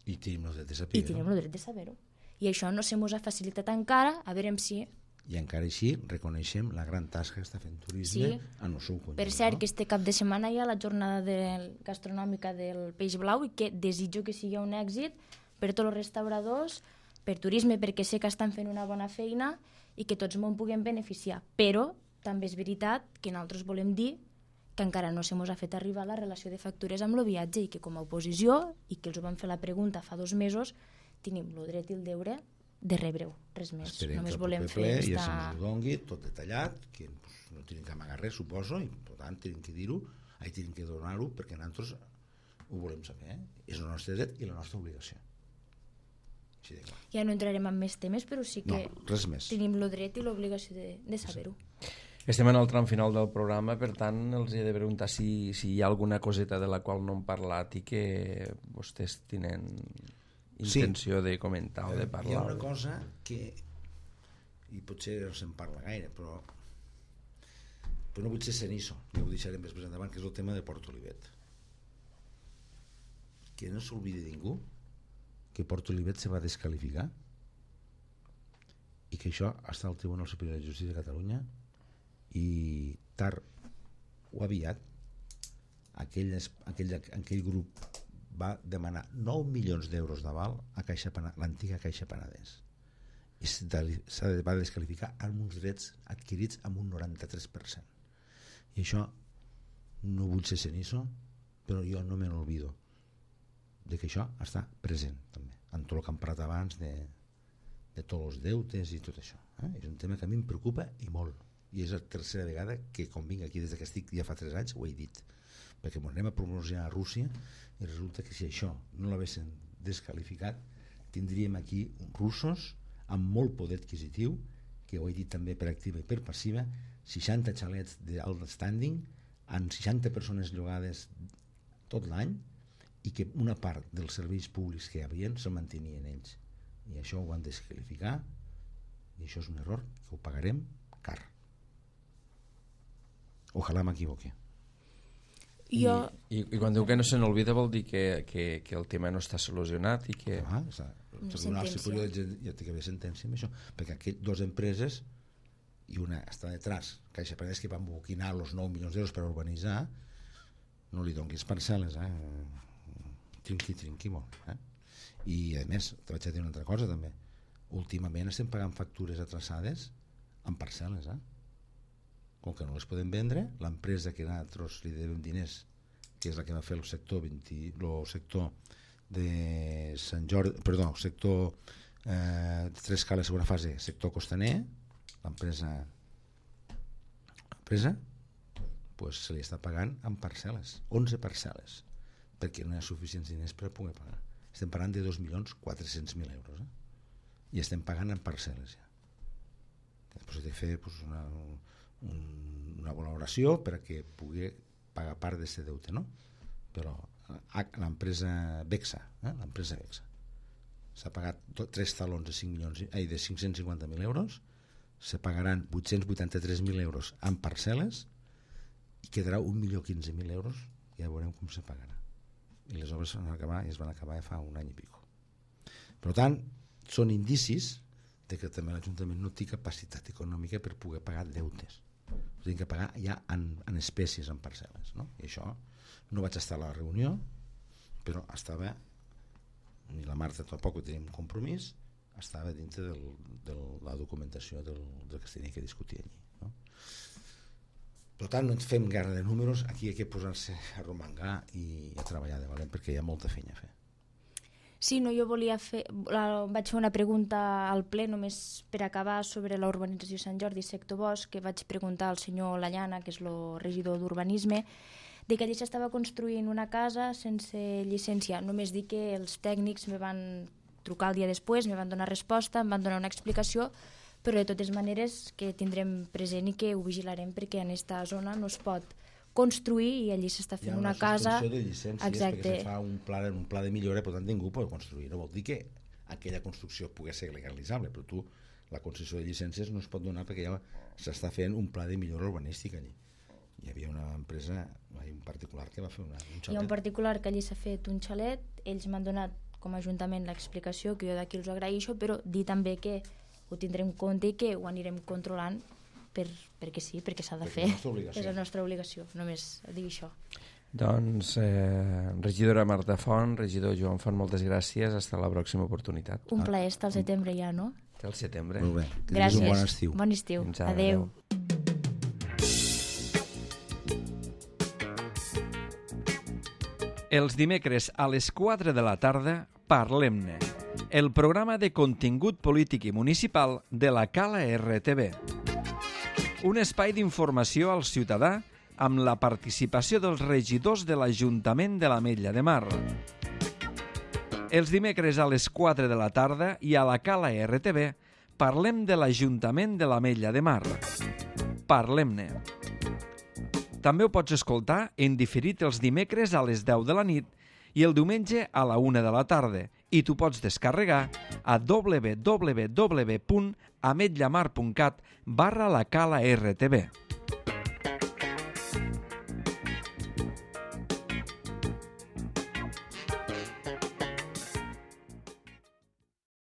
I tenim el dret de saber-ho. I tenim el dret de saber-ho. I això no se mos ha facilitat encara, a veure si... I encara així reconeixem la gran tasca que està fent turisme sí. en el seu conjunt. Per cert, no? que este cap de setmana hi ha la jornada del, gastronòmica del Peix Blau i que desitjo que sigui un èxit per tots els restauradors, per turisme, perquè sé que estan fent una bona feina i que tots me'n puguem beneficiar. Però també és veritat que nosaltres volem dir que encara no se mos ha fet arribar la relació de factures amb el viatge i que com a oposició, i que els ho vam fer la pregunta fa dos mesos, tenim el dret i el deure de rebre-ho, res més. Esperem Només que el volem proper fer ple esta... ja se mos dongui tot detallat, que pues, no tenim que amagar res, suposo, i per tant tenim que dir-ho, ai, tenim que donar-ho, perquè nosaltres ho volem saber. Eh? És el nostre dret i la nostra obligació. Així de clar. Ja no entrarem en més temes, però sí que no, res més. Tenim el dret i l'obligació de, de saber-ho. Sí. Estem en el tram final del programa, per tant els he de preguntar si, si hi ha alguna coseta de la qual no hem parlat i que vostès tenen intenció sí. de comentar o de parlar. Hi ha una cosa que, i potser no se'n parla gaire, però, però no vull ser cenizo, ja ho deixarem després endavant, que és el tema de Port Olivet. Que no s'oblidi ningú que Port Olivet se va descalificar i que això està al Tribunal Superior de Justícia de Catalunya i tard o aviat aquell, aquell, aquell grup va demanar nou milions d'euros d'aval a Caixa l'antiga Caixa Penedès i s'ha de, va descalificar amb uns drets adquirits amb un noranta-tres per cent. I això no vull ser cenizo, però jo no me n'olvido de que això està present també, en tot el que hem parlat abans de, de tots els deutes i tot això. Eh? És un tema que a mi em preocupa i molt. I és la tercera vegada que quan vinc aquí des que estic ja fa tres anys ho he dit, perquè ens anem a promocionar a Rússia i resulta que si això no l'haguessin descalificat tindríem aquí russos amb molt poder adquisitiu, que ho he dit també per activa i per passiva, seixanta xalets d'alt standing amb seixanta persones llogades tot l'any i que una part dels serveis públics que hi havia se mantenien ells, i això ho van descalificar i això és un error que ho pagarem car. Ojalà m'equivoqui. Jo... I, i, I quan diu que no se n'olvida vol dir que, que, que el tema no està solucionat i que... Ah, el Tribunal Superior ja té que haver sentència amb això, perquè aquelles dues empreses i una està detrás, Caixa Penedès, que van boquinar els nou milions d'euros per urbanitzar, no li donguis parcel·les, eh? Trinqui, trinqui molt. Eh? I a més, te vaig a dir una altra cosa també. Últimament estem pagant factures atrasades amb parcel·les, eh? Com que no les podem vendre, l'empresa que nosaltres li devem diners, que és la que va fer el sector vint, el sector de Sant Jordi, perdó, el sector Eh, tres cales segona fase, sector costaner, l'empresa l'empresa pues, se li està pagant en parcel·les, onze parcel·les, perquè no hi ha suficients diners per poder pagar. Estem parlant de dos milions quatre-cents mil euros, eh? I estem pagant en parcel·les ja. Després he de fer pues, una, un, una valoració perquè pugui pagar part d'aquest deute, no? Però l'empresa Bexa, eh? l'empresa Bexa s'ha pagat tres talons de, cinc milions, ai, de cinc-cents cinquanta mil euros, se pagaran vuit-cents vuitanta-tres mil euros en parcel·les i quedarà un milió quinze mil euros, ja veurem com se pagarà. I les obres van acabar, i es van acabar fa un any i pico. Per tant, són indicis de que també l'Ajuntament no té capacitat econòmica per poder pagar deutes. Ho tenen que pagar ja en, en espècies, en parcel·les, no? I això no vaig estar a la reunió, però estava, ni la Marta tampoc tenim compromís, estava dintre del, de la documentació del, del que es tenia que discutir allí, no? Per tant, no ens fem guerra de números, aquí hi ha que posar-se a romangar i a treballar de valent perquè hi ha molta feina a fer. Sí, no, jo volia fer, vaig fer una pregunta al ple només per acabar sobre la urbanització Sant Jordi sector Bosch, que vaig preguntar al senyor Lallana, que és el regidor d'urbanisme, de que allí s'estava construint una casa sense llicència. Només dic que els tècnics me van trucar el dia després, me van donar resposta, em van donar una explicació, però de totes maneres que tindrem present i que ho vigilarem perquè en aquesta zona no es pot construir i allí s'està fent una casa... Hi ha una suspensió de llicències. Exacte. Perquè se fa un pla, un pla de millora, per tant ningú pot construir. No vol dir que aquella construcció pugui ser legalitzable, però tu la concessió de llicències no es pot donar perquè ja s'està fent un pla de millora urbanística allí. Hi havia una empresa, un particular que va fer una, un xalet. Hi ha un particular que allí s'ha fet un xalet, ells m'han donat com a Ajuntament l'explicació, que jo d'aquí els agraeixo, però dir també que ho tindrem en compte i que ho anirem controlant per, perquè sí, perquè s'ha de perquè fer. És la nostra obligació, només dir això. Doncs, eh, regidora Marta Font, regidor Joan Font, moltes gràcies, fins a la pròxima oportunitat. Un plaer estar al setembre ja, no? Està al setembre. Molt bé, que gràcies. Un bon estiu. Bon estiu. Adéu. Els dimecres a les quatre de la tarda, Parlem-ne, el programa de contingut polític i municipal de la Cala R T V. Un espai d'informació al ciutadà amb la participació dels regidors de l'Ajuntament de l'Ametlla de Mar. Els dimecres a les quatre de la tarda i a la Cala R T V parlem de l'Ajuntament de l'Ametlla de Mar. Parlem-ne. També ho pots escoltar en diferit els dimecres a les deu de la nit i el diumenge a la una de la tarda i tu pots descarregar a w w w punt ametlamar punt cat barra la cala R T V.